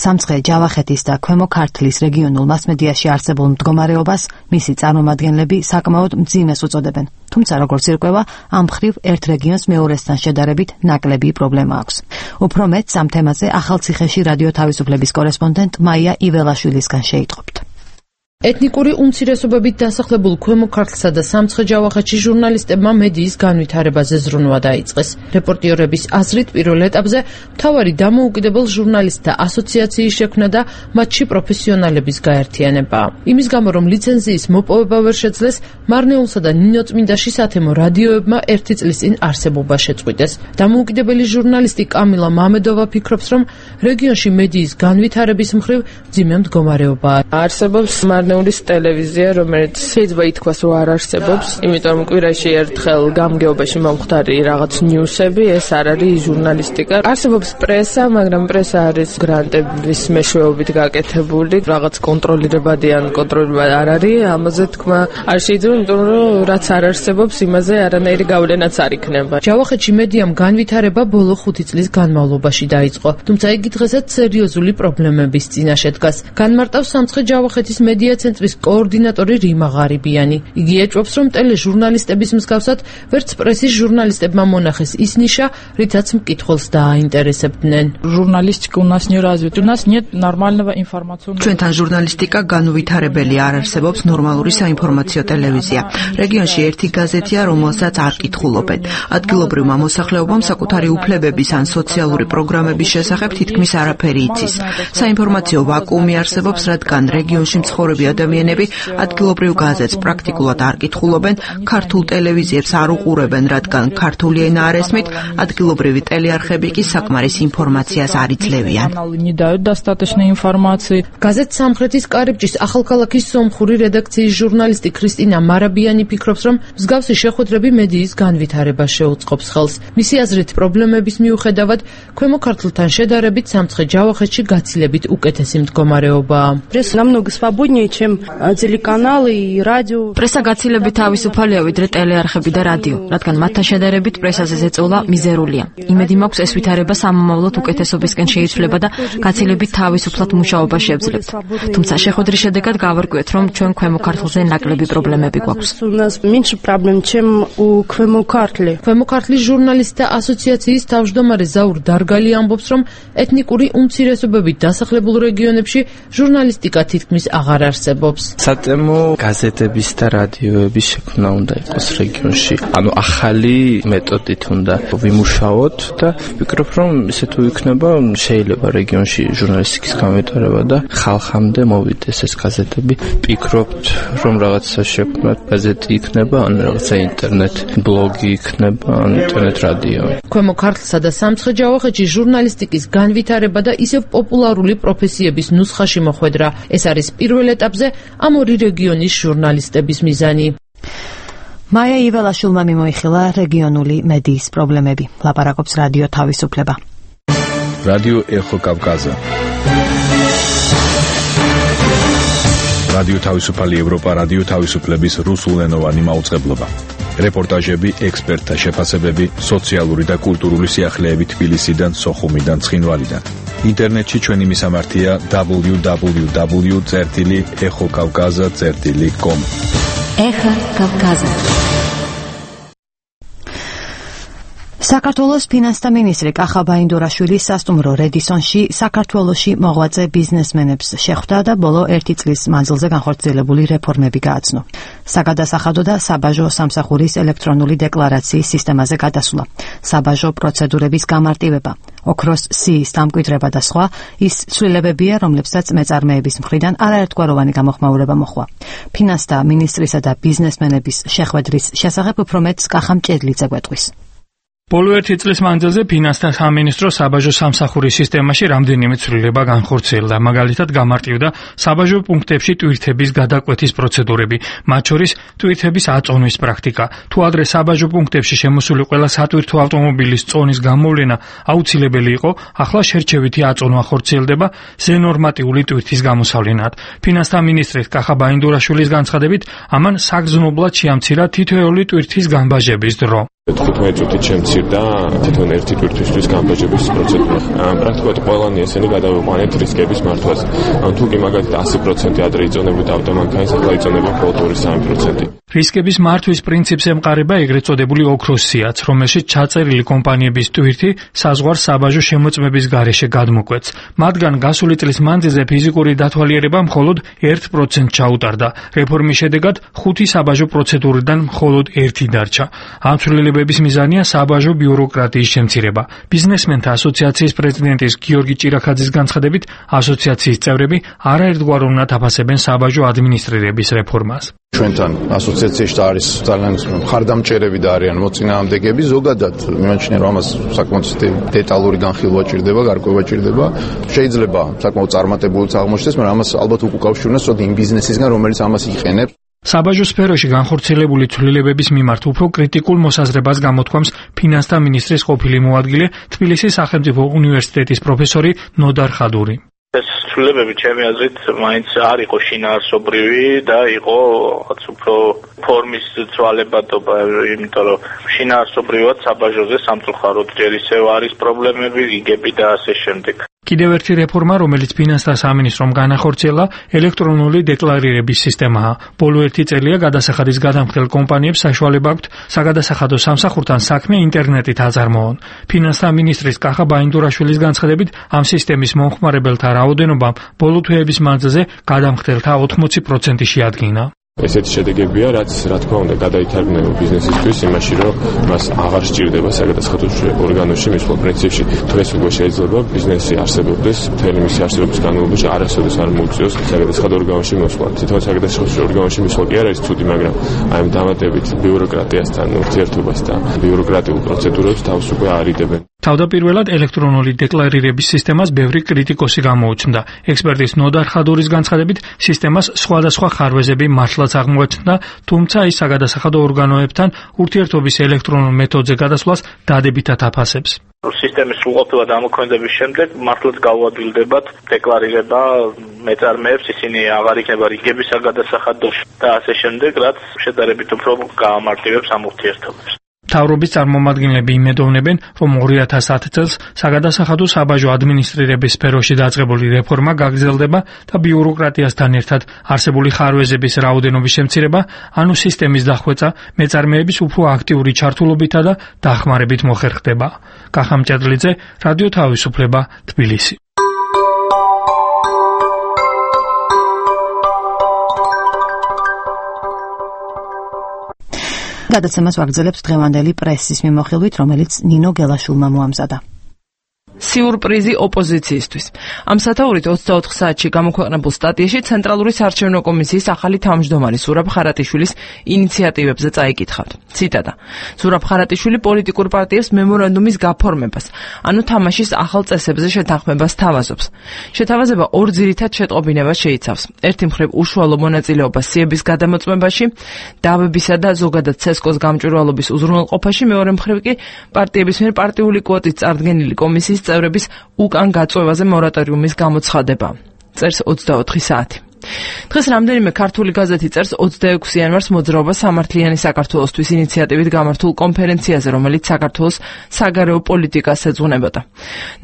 სამცხე, ჯავახეთის და ქვემო ქართლის რეგიონულ მასმედიაში არსებულ მდგომარეობას მისი წარმომადგენლები საკმაოდ მძიმეს უწოდებენ. თუმცა როგორც ირკვევა, ამ მხრივ ერთ რეგიონს მეორესთან შედარებით ნაკლები პრობლემა აქვს. უფრო მეტს ამ თემაზე ახალციხეში რადიო თავისუფლების კორესპონდენტ მაია იველაშვილისგან შეიტყობთ. ეთნიკური უმცირესობებით დასახლებულ ქვემო ქართლსა და სამცხე-ჯავახეთში ჟურნალისტებმა მედიის განვითარებაზე ზრუნვა დაიწყეს. რეპორტიორების აზრით, პირველ ეტაპზე მთავარი დამოუკიდებელ ჟურნალისტთა ასოციაციის შექმნა და მათში პროფესიონალების გაერთიანება. იმის გამო, რომ ლიცენზიის მოპოვება ვერ შეძლეს, მარნეულსა და ნინოწმინდაში სათემო რადიოებმა ერთი წლის წინ არსებობა შეწყვიტეს. დამოუკიდებელი ჟურნალისტი კამილა მამედოვა ფიქრობს, რომ რეგიონში მედიის განვითარების მხრივ მძიმე მდგომარეობაა. არსებობს მარნეულის ტელევიზია, რომელიც შეიძლება ითქვას, რომ არ არსებობს, იმიტომ რომ კვირაში ერთხელ გამგეობაში მომხდარი რაღაც ნიუსები, ეს არ არის ჟურნალისტიკა. არსებობს პრესა, მაგრამ პრესა არის გრანტების მეშვეობით გაკეთებული, რაღაც კონტროლირებადი ან კონტროლირებადი არ არის, ამაზე თქმა არ შეიძლება, იმიტომ რომ რაც არ არსებობს, იმაზე არანაირი გავლენაც არ იქნება. ჯავახეთში მედიამ განვითარება ბოლო 5 წლის განმავლობაში დაიწყო, თუმცა იგი დღესაც სერიოზული პრობლემების წინაშე დგას. განმარტავს სამცხე-ჯავახეთის მედია ცენტრის კოორდინატორი რიმა ღარიბიანი. იგი ეჭვობს, რომ ტელეჟურნალისტების მსგავსად ვერც პრესის ჟურნალისტებმა მონახეს ის ნიშა, რითაც მკითხველს დააინტერესებდნენ. Журналистика у нас не развита. У нас нет нормального информационного. ჩვენთან ჟურნალისტიკა განუვითარებელი არ არსებობს ნორმალური საინფორმაციო ტელევიზია. რეგიონში ერთი გაზეთია, რომელსაც არ კითხულობენ. ადგილობრივმა მოსახლეობამ საკუთარი უფლებების ან სოციალური პროგრამების შესახებ თითქმის არაფერი იცის. საინფორმაციო ვაკუუმი არსებობს, რადგან რეგიონში მცხოვრები ადამიანები ადგილობრივ გაზეთს პრაქტიკულად არ კითხულობენ, ქართულ ტელევიზიებს არ უყურებენ, რადგან ქართული ენა არ ესმით, ადგილობრივი ტელეარხები კი საკმარის ინფორმაციას არ იძლევიან. გაზეთ სამხრეთის კარიბჭის ახალქალაქის სომხური რედაქციის ჟურნალისტი ქრისტინა მარაბიანი ფიქრობს, რომ მსგავსი შეხვედრები მედიის განვითარებას შეუწყობს ხელს. მისი აზრით, პრობლემების მიუხედავად, ქვემო ქართლთან შედარებით სამცხე-ჯავახეთში გაცილებით უკეთესი მდგომარეობაა. Пресса намного свободнее, чем телеканалы и радио. პრესა გაცილებით თავისუფალია ვიდრე ტელეარხები და რადიო, რადგან მათთან შედარებით პრესაზე ზეწოლა მიზერულია. იმედი მაქვს ეს ვითარება სამომავლოდ უკეთესობისკენ შეიცვლება და გაცილებით თავისუფლად მუშაობა შეეძლებთ. თუმცა შეხვედრის შედეგად გავარკვიეთ, რომ ჩვენ ქვემო ქართლზე ნაკლები პრობლემები გვაქვს. У нас меньше проблем, чем у ქვემო ქართლი. ქვემო ქართლის ჟურნალისტთა ასოციაციის თავმჯდომარე ზაურ დარგალი ამბობს, რომ ეთნიკური უმცირესობებით დასახლებულ რეგიონებში ჟურნალისტიკა თითქმის აღარ არსებობს. სატემო გაზეთების და რადიოების შექმნა უნდა იყოს რეგიონში. ანუ ახალი მეთოდით უნდა ვიმუშაოთ და ვფიქრობ, რომ ესე თუ იქნება, შეიძლება რეგიონში ჟურნალისტიკის განვითარება და ხალხამდე მოვიდეს ეს გაზეთები. ვფიქრობთ, რომ რაღაცა შექმნათ გაზეთი იქნება, ან რაღაცა ინტერნეტ ბლოგი იქნება, ან ინტერნეტ რადიო. ქვემო ქართლსა და სამცხე-ჯავახეთში ჟურნალისტიკის განვითარება და ისევ პოპულარული პროფესიების ნუსხაში მოხვედრა. ეს არის პირველ ეტაპზე ამ ორი რეგიონის ჟურნალისტების მიზანი. მაია იველაშვილმა მიმოიხილა რეგიონული მედიის პრობლემები. ლაპარაკობს რადიო თავისუფლება. რადიო ეხო კავკაზა. რადიო თავისუფალი ევროპა, რადიო თავისუფლების რუსულენოვანი მაუწყებლობა. რეპორტაჟები, ექსპერტთა შეფასებები, სოციალური და კულტურული სიახლეები თბილისიდან, სოხუმიდან, ცხინვალიდან. ინტერნეტში ჩვენი მისამართია www.ეხოკავკაზა.com. ეხა კავკაზა. საქართველოს ფინანსთა მინისტრი კახა ბაინდურაშვილი სასტუმრო რედისონში საქართველოში მოღვაწე ბიზნესმენებს შეხვდა და ბოლო 1 წლის მანძილზე განხორციელებული რეფორმები გააცნო. საგადასახადო და საბაჟო სამსახურის ელექტრონული დეკლარაციის სისტემაზე გადასვლა, საბაჟო პროცედურების გამარტივება, ოქროს სიის დამკვიდრება და სხვა ის ცვლილებებია, რომლებსაც მეწარმეების მხრიდან არაერთგვაროვანი გამოხმაურება მოჰყვა. ფინანსთა მინისტრისა და ბიზნესმენების შეხვედრის შესახებ უფრო მეტს კახამ ჭედლიძე გვეტყვის. ბოლო 1 წლის მანძილზე ფინანსთა სამინისტრო საბაჟო სამსახურის სისტემაში რამდენიმე ცვლილება განხორციელდა. მაგალითად, გამარტივდა საბაჟო პუნქტებში ტვირთების გადაკვეთის პროცედურები, მათ შორის ტვირთების აწონვის პრაქტიკა. თუ ადრე საბაჟო პუნქტებში შემოსული ყველა სატვირთო ავტომობილის წონის გამოვლენა აუცილებელი იყო, ახლა შერჩევითი აწონვა ხორციელდება ზენორმატიული ტვირთის გამოსავლენად. ფინანსთა მინისტრის კახა ბაინდურაშვილის განცხადებით, ამან საგრძნობლად შეამცირა თითოეული ტვირთის განბაჟების დრო. 15 წუთით შემცირდა თვითონ ერთი ტვირთვისთვის განბაჟების პროცედურა. პრაქტიკულად ყველანი ესენი გადავიყვანეთ რისკების მართვაზე. თუ კი მაგალითად 100% ადრე იწონებოდა ავტომანქანის, ახლა იწონება მხოლოდ 2-3%. რისკების მართვის პრინციპს ემყარება ეგრეთ წოდებული ოქროს სიაც, რომელშიც ჩაწერილი კომპანიების ტვირთი საზღვარ საბაჟო შემოწმების გარეშე გადმოკვეთს. მათგან გასული წლის მანძილზე ფიზიკური დათვალიერება მხოლოდ 1% ჩაუტარდა. რეფორმის შედეგად 5 საბაჟო პროცედურიდან მხოლოდ 1 დარჩა. ამ ცვლილებების მიზანია საბაჟო ბიუროკრატიის შემცირება. ბიზნესმენთა ასოციაციის პრეზიდენტის გიორგი ჭირახაძის განცხადებით, ასოციაციის წევრები არაერთგვაროვნად აფასებენ საბაჟო ადმინისტრირების რეფორმას. ჩვენთან ასოციაციაში არის ძალიან მხარდამჭერები და არიან მოწინააღმდეგეები. ზოგადად მიმაჩნია, რომ ამას საკმაოდ დეტალური განხილვა ჭირდება, გარკვევა ჭირდება. შეიძლება საკმაოდ წარმატებულიც აღმოჩნდეს, მაგრამ ამას ალბათ უკავშირდეს იმ ბიზნესისგან, რომელიც ამას იყენებს. საბაჟო სფეროში განხორციელებული ცვლილებების მიმართ უფრო კრიტიკულ მოსაზრებას გამოთქვამს ფინანსთა მინისტრის ყოფილი მოადგილე, თბილისის სახელმწიფო უნივერსიტეტის პროფესორი ნოდარ ხადური. ეს ცვლილებები ჩემი აზრით მაინც არ იყო შინაარსობრივი და იყო რაღაც უფრო ფორმის ცვალებადობა, იმიტომ რომ შინაარსობრივად საბაჟოზე სამწუხაროდ ჯერ ისევ არის პრობლემები, რიგები და ასე შემდეგ. კიდევ ერთი რეფორმა, რომელიც ფინანსთა სამინისტრომ განახორციელა, ელექტრონული დეკლარირების სისტემაა. ბოლო 1 წელია გადასახადის გადამხდელ კომპანიებს საშუალება აქვთ საგადასახადო სამსახურთან საქმე ინტერნეტით აწარმოონ. ფინანსთა მინისტრის კახა ბაინდურაშვილის განცხადებით, ამ სისტემის მომხმარებელთა რაოდენობა ბოლო თვეების მანძილზე გადამხდელთა 80% შეადგინა. ესეთი შედეგებია, რაც რა თქმა უნდა გადაითარგმნება ბიზნესისთვის იმაში, რომ მას აღარ სჭირდება საგადასახადო ორგანოში მისვლა. პრინციპში დღეს უკვე შეიძლება ბიზნესი არსებობდეს, მთელი მისი არსებობის განმავლობაში არასოდეს არ მოუწიოს საგადასახადო ორგანოში მოსვლა. თვითონ საგადასახადო ორგანოში მოსვლა კი არ არის ცუდი, მაგრამ აი ამ დამატებით ბიუროკრატიასთან ურთიერთობას და ბიუროკრატიულ პროცედურებს თავს უკვე არიდებენ. თავდაპირველად ელექტრონული დეკლარირების სისტემას ბევრი კრიტიკოსი გამოუჩნდა. ექსპერტის ნოდარ ხადურის განცხადებით, სისტემას სხვადასხვა ხარვეზები მართლაც აღმოაჩნდა, თუმცა ის საგადასახადო ორგანოებთან ურთიერთობის ელექტრონულ მეთოდზე გადასვლას დადებითად აფასებს. სისტემის სრულყოფილად ამოქმედების შემდეგ მართლაც გაუადვილდებათ დეკლარირება მეწარმეებს, ისინი აღარ იქნება რიგების საგადასახადოში და ასე შემდეგ, რაც შედარებით უფრო გაამარტივებს ამ ურთიერთობებს. მთავრობის წარმომადგენლები იმედოვნებენ, რომ 2010 წელს საგადასახადო საბაჟო ადმინისტრირების სფეროში დაწყებული რეფორმა გაგრძელდება და ბიუროკრატიასთან ერთად არსებული ხარვეზების რაოდენობის შემცირება, ანუ სისტემის დახვეწა მეწარმეების უფრო აქტიური ჩართულობითა და დახმარებით მოხერხდება. კახამ ჭედლიძე, რადიო თავისუფლება, თბილისი. გადაცემას ვაგრძელებთ დღევანდელი პრესის მიმოხილვით, რომელიც ნინო გელაშვილმა მოამზადა. სიურპრიზი ოპოზიციისთვის. ამ სათაურით 24 საათში გამოქვეყნებულ სტატიაში ცენტრალური საარჩევნო კომისიის ახალი თავმჯდომარის ზურაბ ხარატიშვილის ინიციატივებზე წაიკითხავთ. ციტატა: ზურაბ ხარატიშვილი პოლიტიკურ პარტიებს მემორანდუმის გაფორმებას, ანუ თამაშის ახალ წესებზე შეთანხმებას თავაზობს. შეთავაზება ორ ძირითად შეტყობინებას შეიცავს. ერთი მხრივ უშუალო მონაწილეობა სიების გადამოწმებაში, დავებისა და ზოგადად ცესკოს გამჭვირვალობის უზრუნველყოფაში, მეორე მხრივ კი პარტიების მიერ პარტიული კვოტით წარდგენილი კომისიის წევრების უკან გაწვევაზე მორატორიუმის გამოცხადება. წერს 24 საათი. დღეს რამდენიმე ქართული გაზეთი წერს 26 იანვარს მოძრაობა სამართლიანი საქართველოსთვის ინიციატივით გამართულ კონფერენციაზე, რომელიც საქართველოს საგარეო პოლიტიკას ეძღვნებოდა.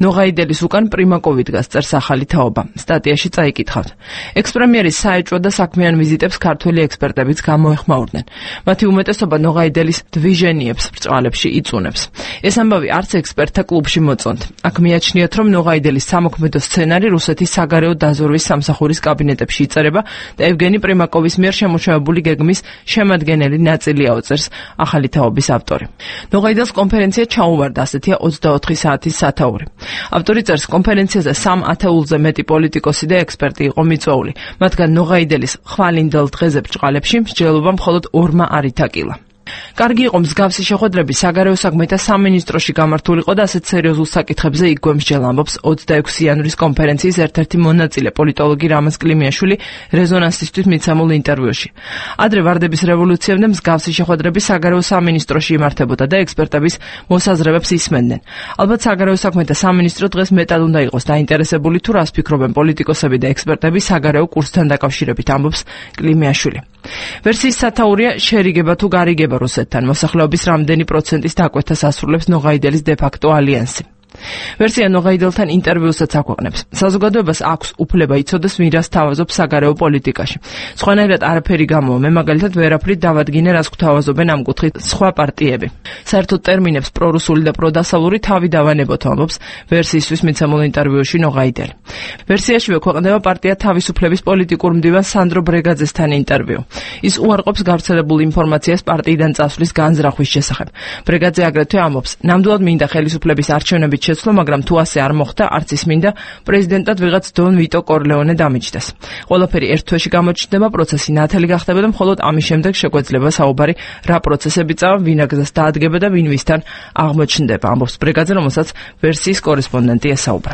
ნოღაიდელის უკან პრიმაკოვი დგას, წერს ახალი თაობა. სტატიაში წაიკითხავთ. ექს-პრემიერის საეჭვო და საქმიან ვიზიტებს ქართველი ექსპერტებიც გამოეხმაურდნენ. მათი უმეტესობა ნოღაიდელის დვიჟენიებს ბრწყალებში იწუნებს. ეს ამბავი არც ექსპერტთა კლუბში მოწონთ. აქ მიაჩნიათ, რომ ნოღაიდელის სამოქმედო სცენარი რუსეთის საგარეო დაზვერვის სამსახურის კაბინეტებში იწერება და ევგენი პრიმაკოვის მიერ შემოშევებული გეგმის შემადგენელი ნაწილია, წერს ახალი თაობის ავტორი. ნოღაიდელს კონფერენცია ჩაუვარდა, ასეთია 24 საათის სათაური. ავტორი წერს, კონფერენციაზე 3 ათეულზე მეტი პოლიტიკოსი და ექსპერტი იყო მიწვეული, მათგან ნოღაიდელის ხვალინდელ დღეზე ბრჭყალებში მსჯელობა მხოლოდ 2 არ ითაკილა. კარგი იყო მსგავსი შეხვედრები საგარეო საქმეთა სამინისტროში გამართულიყო და ასეთ სერიოზულ საკითხებზე იქ გვემსჯელ, ამბობს 26 იანვრის კონფერენციის ერთ-ერთი მონაწილე პოლიტოლოგი რამაზ კლიმიაშვილი რეზონანსისთვის მიცემულ ინტერვიუში. ადრე ვარდების რევოლუციამდე მსგავსი შეხვედრები საგარეო სამინისტროში იმართებოდა და ექსპერტების მოსაზრებებს ისმენდნენ. ალბათ საგარეო საქმეთა სამინისტრო დღეს მეტად უნდა იყოს დაინტერესებული თუ რას ფიქრობენ პოლიტიკოსები და ექსპერტები საგარეო კურსთან დაკავშირებით, ამბობს კლიმიაშვილი. ვერსიის სათაურია შერიგება თუ გარიგება რუსეთთან, მოსახლეობის რამდენი პროცენტის დაკვეთას ასრულებს ნოღაიდელის დე-ფაქტო ალიანსი. ვერსია ნოღაიდელთან ინტერვიუსაც აქვეყნებს. საზოგადოებას აქვს უფლება იცოდეს, ვინ რას თავაზობს საგარეო პოლიტიკაში. სხვანაირად არაფერი გამოვა, მე მაგალითად ვერაფრით დავადგინე, რას გვთავაზობენ ამ კუთხით სხვა პარტიები. საერთოდ ტერმინებს პრორუსული და პროდასავლური თავი დავანებოთ, ამბობს ვერსიისთვის მიცემულ ინტერვიუში ნოღაიდელი. ვერსიაშივე ქვეყნდება პარტია თავისუფლების პოლიტიკურ მდივან სანდრო ბრეგაძესთან ინტერვიუ. ის უარყოფს გავრცელებულ ინფორმაციას პარტიიდან წასვლის განზრახვის შესახებ. ბრეგაძე აგრეთვე ამბობს, ნამდვილად მინდა ხელისუფლების არჩევნებით შეცვლო, მაგრამ თუ ასე არ მოხდა, არც ის მინდა პრეზიდენტად ვიღაც დონ ვიტო კორლეონე დამიჯდეს. ყველაფერი ერთ თვეში გამოჩნდება, პროცესი ნათელი გახდება და მხოლოდ ამის შემდეგ შეგვეძლება საუბარი, რა პროცესები წავა, ვინ აგზას დაადგება და ვინ ვისთან აღმოჩნდება, ამბობს ბრეგაძე, რომელსაც ვერსიის კორესპონდენტი ესაუბრა.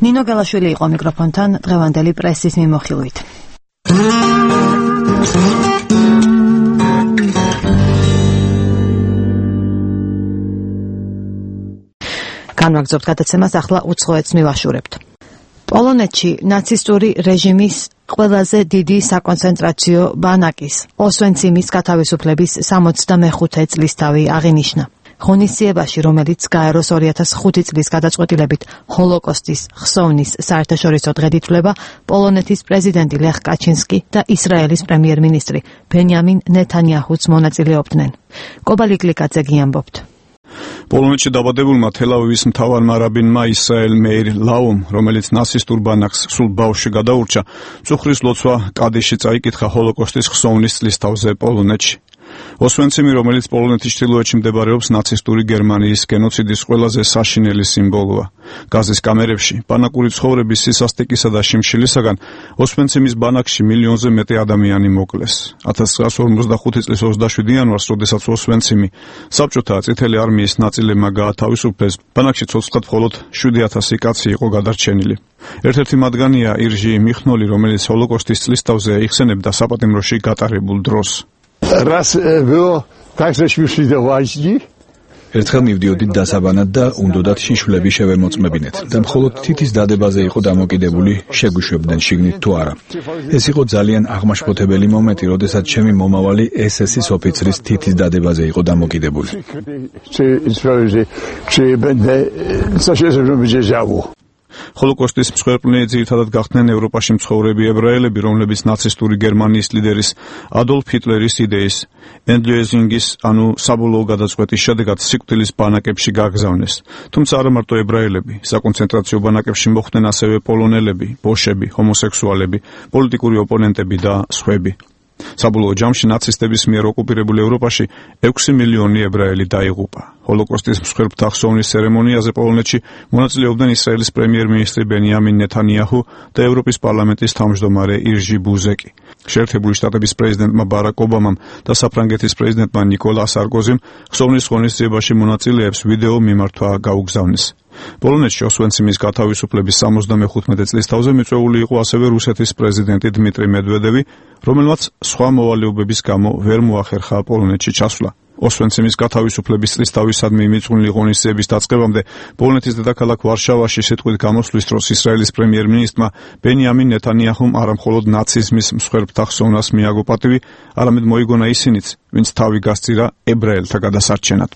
ნინო გელაშვილი იყო მიკროფონთან დღევანდელი პრესის მიმოხილვით. განვაგრძობთ გადაცემას, ახლა უცხოეთს მივაშურებთ. პოლონეთში ნაცისტური რეჟიმის ყველაზე დიდი საკონცენტრაციო ბანაკის ოსვენციმის გათავისუფლების 65 წლისთავი აღინიშნა. ღონისძიებაში, რომელიც გაეროს 2005 წლის გადაწყვეტილებით ჰოლოკოსტის ხსოვნის საერთაშორისო დღედ ითვლება, პოლონეთის პრეზიდენტი ლეხ კაჩინსკი და ისრაელის პრემიერ-მინისტრი ბენიამინ ნეთანიაჰუც მონაწილეობდნენ. კობალი გლიკაძე ამბობთ. პოლონეთში დაბადებულმა თელ-ავივის მთავარმა რაბინმა ისრაელ მეირ ლაუმ, რომელიც ნაცისტურ ბანაკს სულ ბავშვში გადაურჩა, მწუხრის ლოცვა კადიში წაიკითხა ჰოლოკოსტის ხსოვნის წლისთავზე პოლონეთში. ოსვენციმი, რომელიც პოლონეთის ჩრდილოეთში მდებარეობს, ნაცისტური გერმანიის გენოციდის ყველაზე საშინელი სიმბოლოა. გაზის კამერებში, ბანაკური ცხოვრების სისასტიკისა და შიმშილისაგან ოსვენციმის ბანაკში მილიონზე მეტი ადამიანი მოკლეს. 1945 წლის 27 იანვარს, როდესაც ოსვენციმი საბჭოთა წითელი არმიის ნაწილებმა გაათავისუფლეს, ბანაკში ცოცხლად მხოლოდ 7000 კაცი იყო გადარჩენილი. ერთ-ერთი მათგანია ირჟი მიხნოლი, რომელიც ჰოლოკოსტის წლისთავზე იხსენებდა საპატიმროში გატარებულ დროს. ერთხელ მივდიოდით დასაბანად და უნდოდათ შიშვლები შევემოწმებინეთ და მხოლოდ თითის დადებაზე იყო დამოკიდებული, შეგვიშვებდნენ შიგნით თუ არა. ეს იყო ძალიან აღმაშფოთებელი მომენტი, როდესაც ჩემი მომავალი SS-ის ოფიცრის თითის დადებაზე იყო დამოკიდებული. ჰოლოკოსტის მსხვერპლნი ძირითადად გახდნენ ევროპაში მცხოვრები ებრაელები, რომლებიც ნაცისტური გერმანიის ლიდერის ადოლფ ჰიტლერის იდეის ენდლეზინგის, ანუ საბოლოო გადაწყვეტის შედეგად სიკვდილის ბანაკებში გაგზავნეს. თუმცა არა მარტო ებრაელები, საკონცენტრაციო ბანაკებში მოხვდნენ ასევე პოლონელები, ბოშები, ჰომოსექსუალები, პოლიტიკური ოპონენტები და სხვები. საბოლოო ჯამში ნაცისტების მიერ ოკუპირებულ ევროპაში 6 მილიონი ებრაელი დაიღუპა. ჰოლოკოსტის მსხვერპლთა ხსოვნის ცერემონიაზე პოლონეთში მონაწილეობდნენ ისრაელის პრემიერ-მინისტრი ბენიამინ ნეთანიაჰუ და ევროპის პარლამენტის თავმჯდომარე ირჟი ბუზეკი. შეერთებული შტატების პრეზიდენტმა ბარაკ ობამამ და საფრანგეთის პრეზიდენტმა ნიკოლა სარკოზიმ ხსოვნის ღონისძიებაში მონაწილეებს ვიდეო მიმართვა გაუგზავნეს. პოლონეთში ოსვენციმის გათავისუფლების 75 წლისთავზე მიწვეული იყო ასევე რუსეთის პრეზიდენტი დმიტრი მედვედევი, რომელმაც სხვა მოვალეობების გამო ვერ მოახერხა პოლონეთში ჩასვლა. ოსვენციმის გათავისუფლების წლისთავისადმი მიწვეული ღონისძიების დაწყებამდე პოლონეთის დედაქალაქ ვარშავაში სიტყვით გამოსვლის დროს ისრაელის პრემიერ-მინისტრმა ბენიამინ ნეთანიაჰუმ არამხოლოდ ნაციზმის მსხვერპლთა ხსოვნას მიაგო პატივი, არამედ მოიგონა ისინიც, ვინც თავი გასწირა ებრაელთა გადასარჩენად.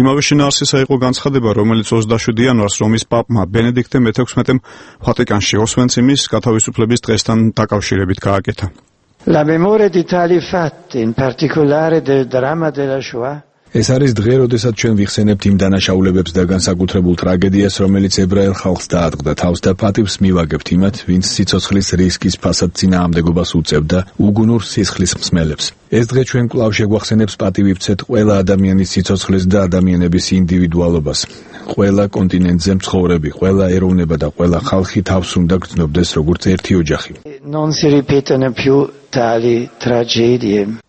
იმავე შინაარსისა იყო განცხადება, რომელიც 27 იანვარს რომის პაპმა ბენედიქტე მე-16-მ ვატიკანში ოსვენციმის გათავისუფლების დღესთან დაკავშირებით გააკეთა. La memoria di tali fatti, in particolare del dramma della Shoah, ეს არის დღე, როდესაც ჩვენ ვიხსენებთ იმ დანაშაულებებს და განსაკუთრებულ ტრაგედიას, რომელიც ებრაელ ხალხს დაატყდა თავს და პატივს მივაგებთ იმათ, ვინც სიცოცხლის რისკის ფასად წინააღმდეგობას უწევდა უგუნურ სისხლის მსმელებს. ეს დღე ჩვენ კვლავ შეგვახსენებს პატივი ვცეთ ყველა ადამიანის სიცოცხლის და ადამიანების ინდივიდუალობას. ყველა კონტინენტზე მცხოვრები, ყველა ეროვნება და ყველა ხალხი თავს უნდა გრძნობდეს როგორც ერთი ოჯახი. Non si ripetano più tali tragedie.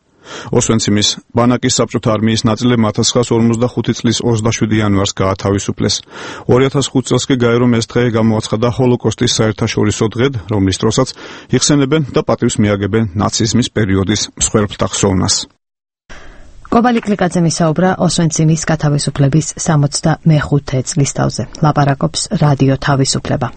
ოსვენციმის ბანაკის საბჭოთა არმიის ნაწილებმა 1945 წლის 27 იანვარს გაათავისუფლეს. 2005 წელს კი გაერო ეს დღე გამოაცხადა ჰოლოკოსტის საერთაშორისო დღედ, რომლის დროსაც იხსენებენ და პატივს მიაგებენ ნაციზმის პერიოდის მსხვერპლთა ხსოვნას. კობალი კლიკაძე მისაუბრა ოსვენციმის გათავისუფლების 65 წლისთავზე. ლაპარაკობს რადიო თავისუფლება.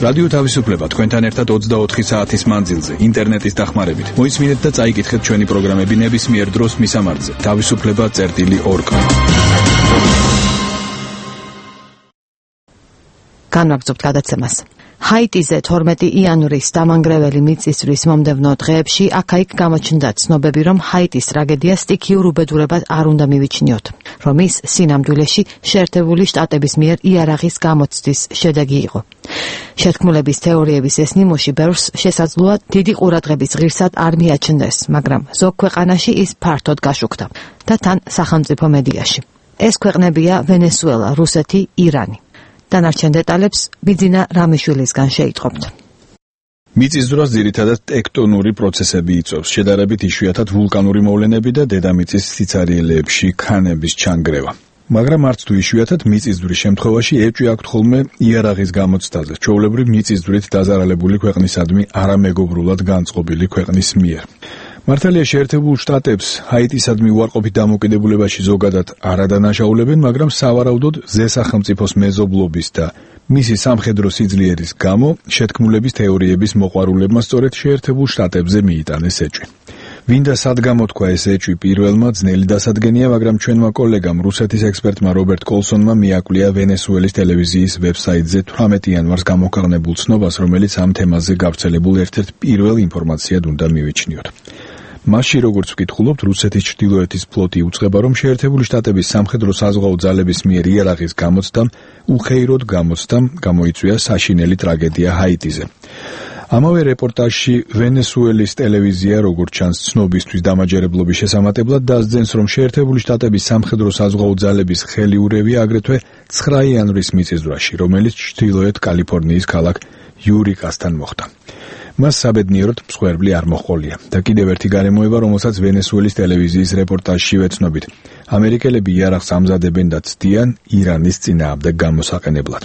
რადიო თავისუფლება თქვენთან ერთად 24 საათის მანძილზე ინტერნეტის დახმარებით. მოისმინეთ და წაიკითხეთ ჩვენი პროგრამები ნებისმიერ დროს მისამართზე. თავისუფლება.org. განვაგრძობთ გადაცემას. ჰაიტიზე 12 იანვრის დამანგრეველი მიწისძვრის მომდევნო დღეებში აქა-იქ გამოჩნდა ცნობები, რომ ჰაიტის ტრაგედია სტიქიურ უბედურებად არ უნდა მივიჩნიოთ, რომ ის სინამდვილეში შეერთებული შტატების მიერ იარაღის გამოცდის შედეგი იყო. შეთქმულების თეორიების ეს ნიმუში ბევრს შესაძლოა დიდი ყურადღების ღირსად არ მიაჩნდეს, მაგრამ ზოგ ქვეყანაში ის ფართოდ გაშუქდა და თან სახელმწიფო მედიაში. ეს ქვეყნებია ვენესუელა, რუსეთი, ირანი. დანარჩენ დეტალებს ბიძინა რამიშვილისგან შეიტყობთ. მიწისძვრას ძირითადად ტექტონური პროცესები იწვევს, შედარებით იშვიათად ვულკანური მოვლენები და დედამიწის სიცარიელეებში ქანების ჩანგრევა. მაგრამ არც თუ იშვიათად მიწისძვრის შემთხვევაში ეჭვი აქვთ ხოლმე იარაღის გამოცდაზე, ჩვეულებრივ მიწისძვრით დაზარალებული ქვეყნისადმი არამეგობრულად განწყობილი ქვეყნის მიერ. მართალია შეერთებულ შტატებს ჰაიტისადმი უარყოფით დამოკიდებულებაში ზოგადად არ ადანაშაულებენ, მაგრამ სავარაუდოდ ზესახელმწიფოს მეზობლობის და მისი სამხედრო სიძლიერის გამო შეთქმულების თეორიების მოყვარულებმა სწორედ შეერთებულ შტატებზე მიიტანეს ეჭვი. ვინდა სად გამოთქვა ეს ეჭვი პირველმა, ძნელი დასადგენია, მაგრამ ჩვენმა კოლეგამ რუსეთის ექსპერტმა რობერტ კოლსონმა მიაკვლია ვენესუელის ტელევიზიის ვებსაიტზე 18 იანვარს გამოქვეყნებულ ცნობას, რომელიც ამ თემაზე გავრცელებულ ერთ-ერთ პირველ ინფორმაციად უნდა მივიჩნიოთ. მასში, როგორც ვკითხულობთ, რუსეთის ჩრდილოეთის ფლოტი უწყება, რომ შეერთებული შტატების სამხედრო საზღვაო ძალების მიერ იარაღის გამოცდამ უხეიროდ გამოიწვია საშინელი ტრაგედია ჰაიტიზე. ამავე რეპორტაჟში ვენესუელის ტელევიზია, როგორც ჩანს, ცნობისთვის დამაჯერებლობის შესამატებლად დასძენს, რომ შეერთებული შტატების სამხედრო საზღვაო ძალების ხელიურევი აგრეთვე 9 იანვრის მიწისძვრაში, რომელიც ჩრდილოეთ კალიფორნიის ქალაქ იურიკასთან მოხდა. მას საბედნიეროდ მსხვერპლი არ მოჰყოლია და კიდევ ერთი გარემოება, რომელსაც ვენესუელის ტელევიზიის რეპორტაჟში ვეცნობით. ამერიკელები იარაღს ამზადებენ და ცდიან ირანის წინააღმდეგ გამოსაყენებლად.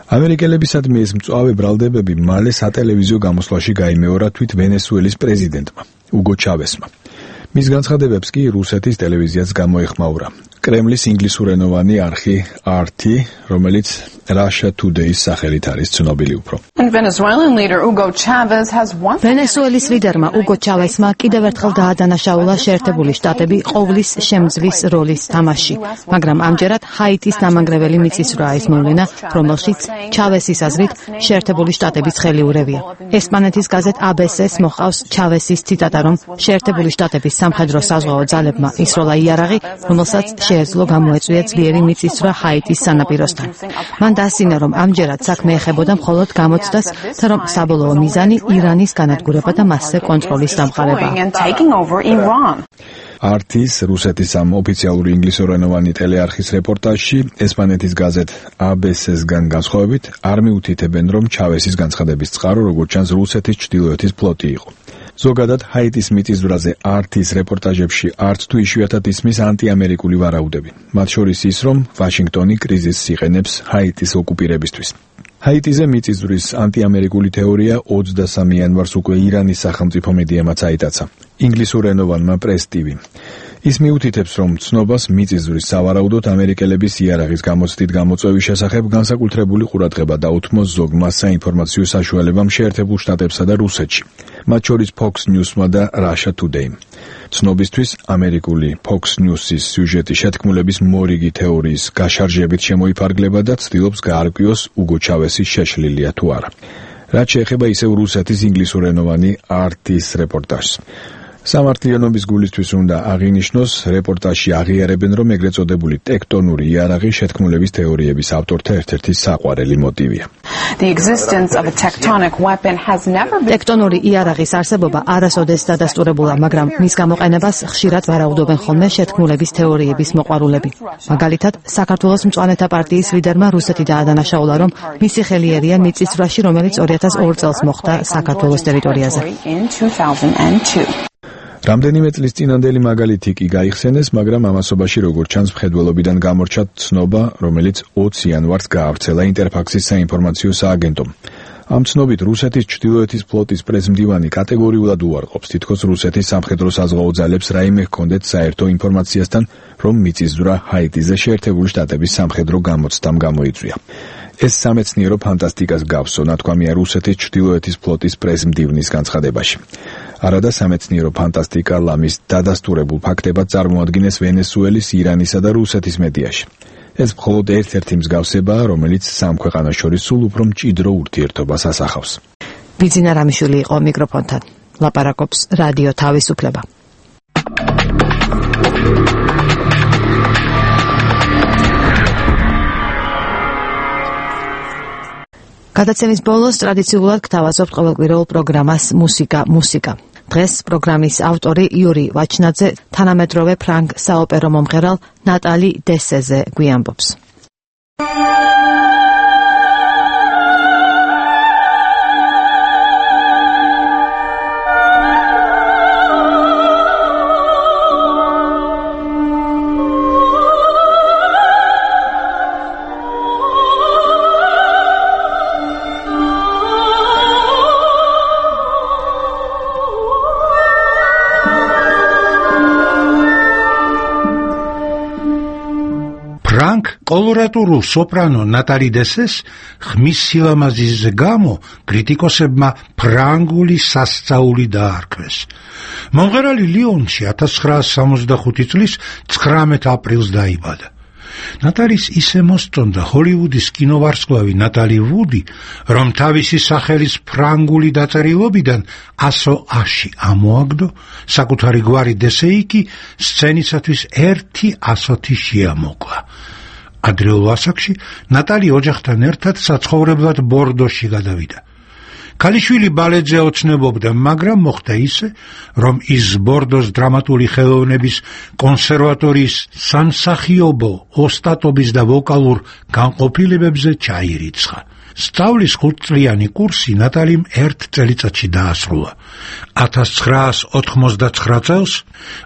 ამერიკელებისადმი ეს მწვავე ბრალდებები მალე სატელევიზიო გამოსვლაში გაიმეორა თვით ვენესუელის პრეზიდენტმა, უგო ჩავესმა. მის განცხადებებს კი რუსეთის ტელევიზიაც გამოეხმაურა. კრემლის ინგლისურენოვანი არხი RT, რომელიც Russia Today-ის სახელით არის ცნობილი უფრო. ვენესუელის ლიდერმა უგო ჩავესმა კიდევ ერთხელ დაადანაშაულა შეერთებული შტატები ყოვლის შემძვის როლის თამაში, მაგრამ ამჯერად ჰაიტის დამანგრეველი მიწისძვრაა ის მოვლენა, რომელშიც ჩავესის აზრით შეერთებული შტატების ხელიურევია. ესპანეთის გაზეთ ABC-ს მოჰყავს ჩავესის ციტატა, რომ შეერთებული შტატების სამხედრო საზღვაო ძალებმა ისროლა იარაღი, რომელსაც შეეძლო გამოეწვია ძლიერი მიწისძვრა ჰაიტის სანაპიროსთან. მან დაასინა, რომ ამჯერად საქმე ეხებოდა მხოლოდ გამოცდას და რომ საბოლოო მიზანი ირანის განადგურება და მასზე კონტროლის დამყარება. RT-ის რუსეთის ამ ოფიციალური ინგლისურენოვანი ტელეარხის რეპორტაჟში ესპანეთის გაზეთ ABC-სგან განსხვავებით არ მიუთითებენ, რომ ჩავესის განცხადების წყარო, როგორც ჩანს, რუსეთის ჩრდილოეთის ფლოტი იყო. ზოგადად ჰაიტის მიწისძვრაზე RT-ის რეპორტაჟებში არც თუ იშვიათად ისმის ანტიამერიკული ვარაუდები. მათ შორის ის, რომ ვაშინგტონი კრიზისს იყენებს ჰაიტის ოკუპირებისთვის. ჰაიტიზე მიწისძვრის ანტიამერიკული თეორია 23 იანვარს უკვე ირანის სახელმწიფო მედიამაც აიტაცა. ინგლისურენოვანმა პრეს TV. ის მიუთითებს, რომ ცნობას მიწისძვრის სავარაუდოდ ამერიკელების იარაღის გამოცდით გამოწვევის შესახებ განსაკუთრებული ყურადღება დაუთმოს ზოგმა საინფორმაციო საშუალებამ შეერთებულ შტატებსა და რუსეთში, მათ შორის Fox News-მა და Russia Today. ცნობისთვის ამერიკული Fox News-ის სიუჟეტი შეთქმულების მორიგი თეორიის გაშარჟებით შემოიფარგლება და ცდილობს გაარკვიოს უგო ჩავესის შეშლილია თუ არა. რაც შეეხება ისევ რუსეთის ინგლისურენოვანი RT-ის რეპორტაჟს. სამართლიანობის გულისთვის უნდა აღინიშნოს, რეპორტაჟში აღიარებენ, რომ ეგრეთ წოდებული ტექტონური იარაღი შეთქმულების თეორიების ავტორთა ერთ-ერთი საყვარელი მოტივია. ტექტონური იარაღის არსებობა არასოდეს დადასტურებულა, მაგრამ მის გამოყენებას ხშირად ვარაუდობენ ხოლმე შეთქმულების თეორიების მოყვარულები. მაგალითად, საქართველოს მწვანეთა პარტიის ლიდერმა რუსეთი დაადანაშაულა, რომ მისი ხელი ერია მიწისძვრაში, რომელიც 2002 წელს მოხდა საქართველოს ტერიტორიაზე. რამდენიმე წლის წინანდელი მაგალითი კი გაიხსენეს, მაგრამ ამასობაში როგორც ჩანს მხედველობიდან გამორჩა ცნობა, რომელიც 20 იანვარს გაავრცელა ინტერფაქსის საინფორმაციო სააგენტომ. ამ ცნობით რუსეთის ჩრდილოეთის ფლოტის პრესმდივანი კატეგორიულად უარყოფს, თითქოს რუსეთის სამხედრო საზღვაო ძალებს რაიმე ჰქონდეთ საერთო ინფორმაციასთან, რომ მიწისძვრა ჰაიტიზე შეერთებული შტატების სამხედრო გამოცდამ გამოიწვია. ეს სამეცნიერო ფანტასტიკას გავსო, ნათქვამია რუსეთის ჩრდილოეთის ფლოტის პრესმდივნის განცხადებაში. არადა სამეცნიერო ფანტასტიკა ლამის დადასტურებულ ფაქტებად წარმოადგენს ვენესუელის, ირანისა და რუსეთის მედიაში. ეს მხოლოდ ერთ-ერთი მსგავსებაა, რომელიც სამ ქვეყანას შორის სულ უფრო მჭიდრო ურთიერთობას ასახავს. ბიძინა რამიშვილი იყო მიკროფონთან. ლაპარაკობს რადიო თავისუფლება. გადაცემის ბოლოს ტრადიციულად გთავაზობთ ყოველკვირეულ პროგრამას მუსიკა. დღეს პროგრამის ავტორი იური ვაჩნაძე თანამედროვე ფრანგ საოპერო მომღერალ ნატალი დესეზე გვიამბობს. კოლორატურულ სოპრანო ნატალი დესეს ხმის სილამაზის გამო კრიტიკოსებმა ფრანგული სასწაული დაარქვეს. მომღერალი ლიონში 1965 წლის 19 აპრილს დაიბადა. ნატალის ისე მოსწონდა ჰოლივუდის კინოვარსკვლავი ნატალი ვუდი, რომ თავისი სახელის ფრანგული დაწერილობიდან 100-ში ამოაგდო, საკუთარი გვარი დესეიკი სცენისათვის 1-100 შეამოკლა. ადრეულ ასაკში ნატალი ოჯახთან ერთად საცხოვრებლად ბორდოში გადავიდა. ქალიშვილი ბალეტზე ოცნებობდა, მაგრამ მოხდა ისე, რომ ის ბორდოს დრამატული ხელოვნების კონსერვატორიის სამსახიობო ოსტატობის და ვოკალურ განყოფილებებზე ჩაირიცხა. სწავლის 5-წლიანი კურსი ნატალიმ 1 წელიწადში დაასრულა. 1989 წელს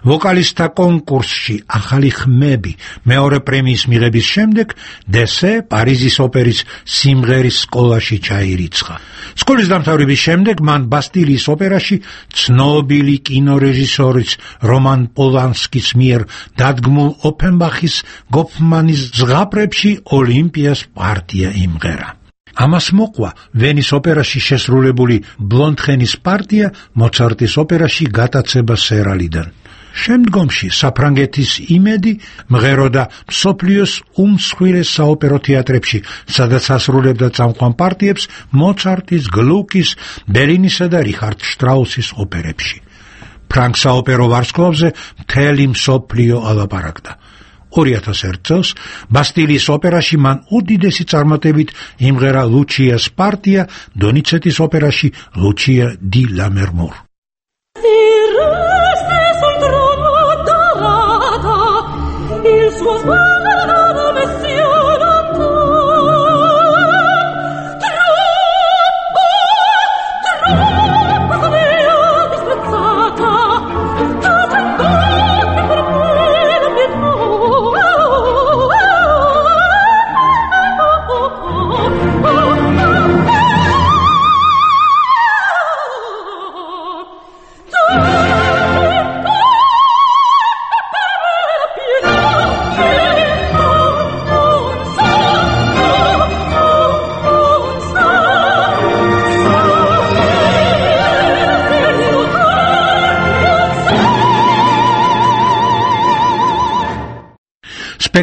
ვოკალისტთა კონკურსში ახალი ხმები მეორე პრემიის მიღების შემდეგ დესე პარიზის ოპერის სიმღერის სკოლაში ჩაირიცხა. სკოლის დამთავრების შემდეგ მან ბასტილიის ოპერაში ცნობილი კინორეჟისორის რომან პოლანსკის მიერ დადგმულ ოფენბახის გოფმანის ზღაპრებში ოლიმპიას პარტია იმღერა. ამას მოყვა ვენის ოპერაში შესრულებული ბლონდხენის პარტია მოცარტის ოპერაში გატაცება სერალიდან. შემდგომში საფრანგეთის იმედი მღეროდა მსოფლიოს უმსხვილეს საოპერო თეატრებში, სადაც ასრულებდა წამყვან პარტიებს მოცარტის, გლუკის, ბერლინისა და რიხარდ შტრაუსის ოპერებში. ფრანგ საოპერო ვარსკვლავზე მთელი მსოფლიო ალაპარაკდა. 2001 წელს ბასტილიის ოპერაში მან უდიდესი წარმატებით იმღერა ლუჩიას პარტია დონიცეტის ოპერაში ლუჩია დი ლამერმურ.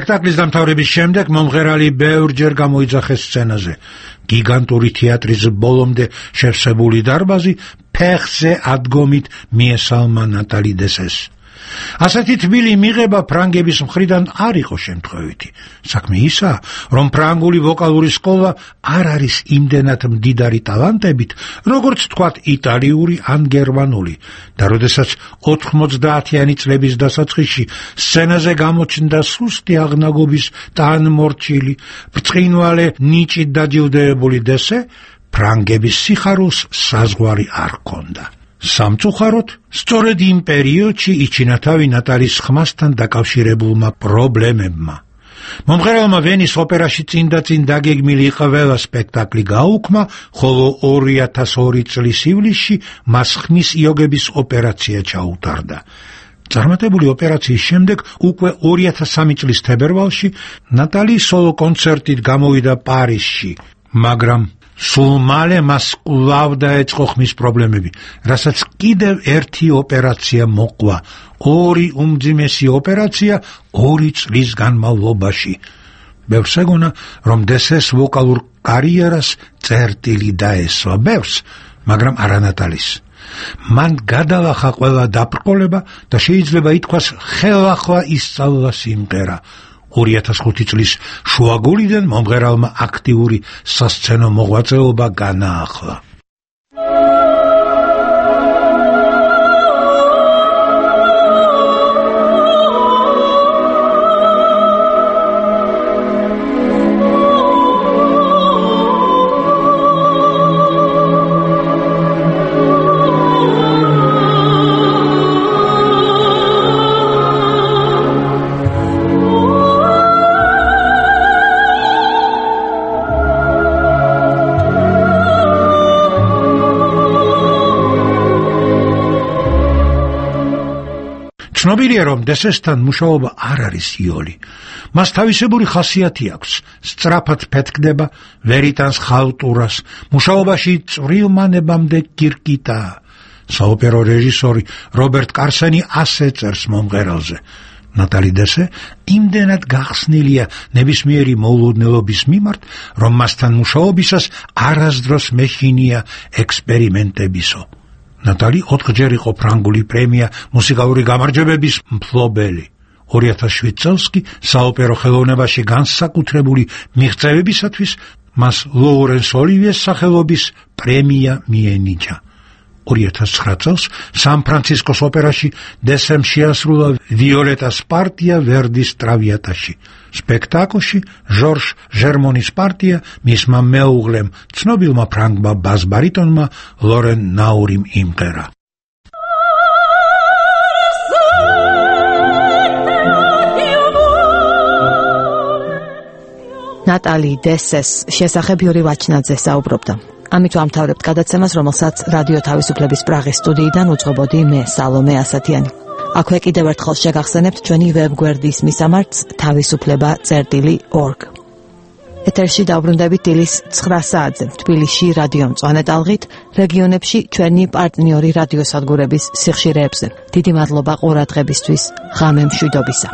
სპექტაკლის დამთავრების შემდეგ მომღერალი ბევრჯერ გამოიძახეს სცენაზე. გიგანტური თეატრის ბოლომდე შევსებული დარბაზი ფეხზე ადგომით მიესალმა ნატალი დესეს. ასეთი თბილი მიღება ფრანგების მხრიდან არ იყო შემთხვევითი. საქმე ისაა, რომ ფრანგული ვოკალური სკოლა არ არის იმდენად მდიდარი ტალანტებით, როგორც თქვათ იტალიური ან გერმანული, და როდესაც 90-იანი წლების დასაწყისში სცენაზე გამოჩნდა სუსტი აღნაგობის ტანმორჩილი, ბრწყინვალე ნიჭით დაჯილდოებული დესე, ფრანგების სიხარულს საზღვარი არ ჰქონდა. სამწუხაროდ, სწორედ იმ პერიოდში იჩინა თავი ნატალის ხმასთან დაკავშირებულმა პრობლემებმა. მომღერალმა ვენის ოპერაში წინ დაგეგმილი ყველა სპექტაკლი გაუქმა, ხოლო 2002 წლის ივლისში მას ხმის იოგების ოპერაცია ჩაუტარდა. წარმატებული ოპერაციის შემდეგ უკვე 2003 წლის თებერვალში ნატალი სოლო კონცერტით გამოვიდა პარიზში, მაგრამ სულ მალე მას კვლავ დაეწყო ხმის პრობლემები, რასაც კიდევ ერთი ოპერაცია მოყვა, 2 უმძიმესი ოპერაცია 2 წლის განმავლობაში. ბევრს ეგონა, რომ დესეს ვოკალურ კარიერას წერტილი დაესვა, ბევრს, მაგრამ არა ნატალის. მან გადალახა ყველა დაბრკოლება და შეიძლება ითქვას ხელახლა ისწავლა სიმღერა. 2005 წლის შუაგულიდან მომღერალმა აქტიური სასცენო მოღვაწეობა განაახლა. ცნობილია, რომ დესესთან მუშაობა არ არის იოლი. მას თავისებური ხასიათი აქვს, სწრაფად ფეთქდება, ვერ იტანს ხალტურას, მუშაობაში წვრილმანებამდე კირკიტაა. საოპერო რეჟისორი რობერტ კარსენი ასე წერს მომღერალზე. ნატალი დესე იმდენად გახსნილია ნებისმიერი მოულოდნელობის მიმართ, რომ მასთან მუშაობისას არასდროს მეშინია ექსპერიმენტებისო. ნატალი 4-ჯერ იყო ფრანგული პრემია მუსიკალური გამარჯვებების მფლობელი. 2007 წელს კი საოპერო ხელოვნებაში განსაკუთრებული მიღწევებისათვის მას ლოურენს ოლივიეს სახელობის პრემია მიენიჭა. 2009 წელს სან-ფრანცისკოს ოპერაში დესემ შეასრულა ვიოლეტას პარტია ვერდის ტრავიატაში. სპექტაკლში ჟორჟ ჟერმონის პარტია მისმა მეუღლემ, ცნობილმა ფრანგმა ბას-ბარიტონმა ლორენ ნაურიმ იმღერა. ნატალი დესეს შესახებ იური ვაჩნაძე საუბრობდა. ამით ვამთავრებთ გადაცემას, რომელსაც რადიო თავისუფლების პრაღის სტუდიიდან უძღვებოდი მე, სალომე ასათიანი. აქვე კიდევ ერთხელ შეგახსენებთ ჩვენი ვებგვერდის მისამართს თავისუფლება.org. ეთერში დავბრუნდებით დილის 9 საათზე თბილისში რადიო მწვანე ტალღით, რეგიონებში ჩვენი პარტნიორი რადიოსადგურების სიხშირეებზე. დიდი მადლობა ყურადღებისთვის, ღამე მშვიდობისა.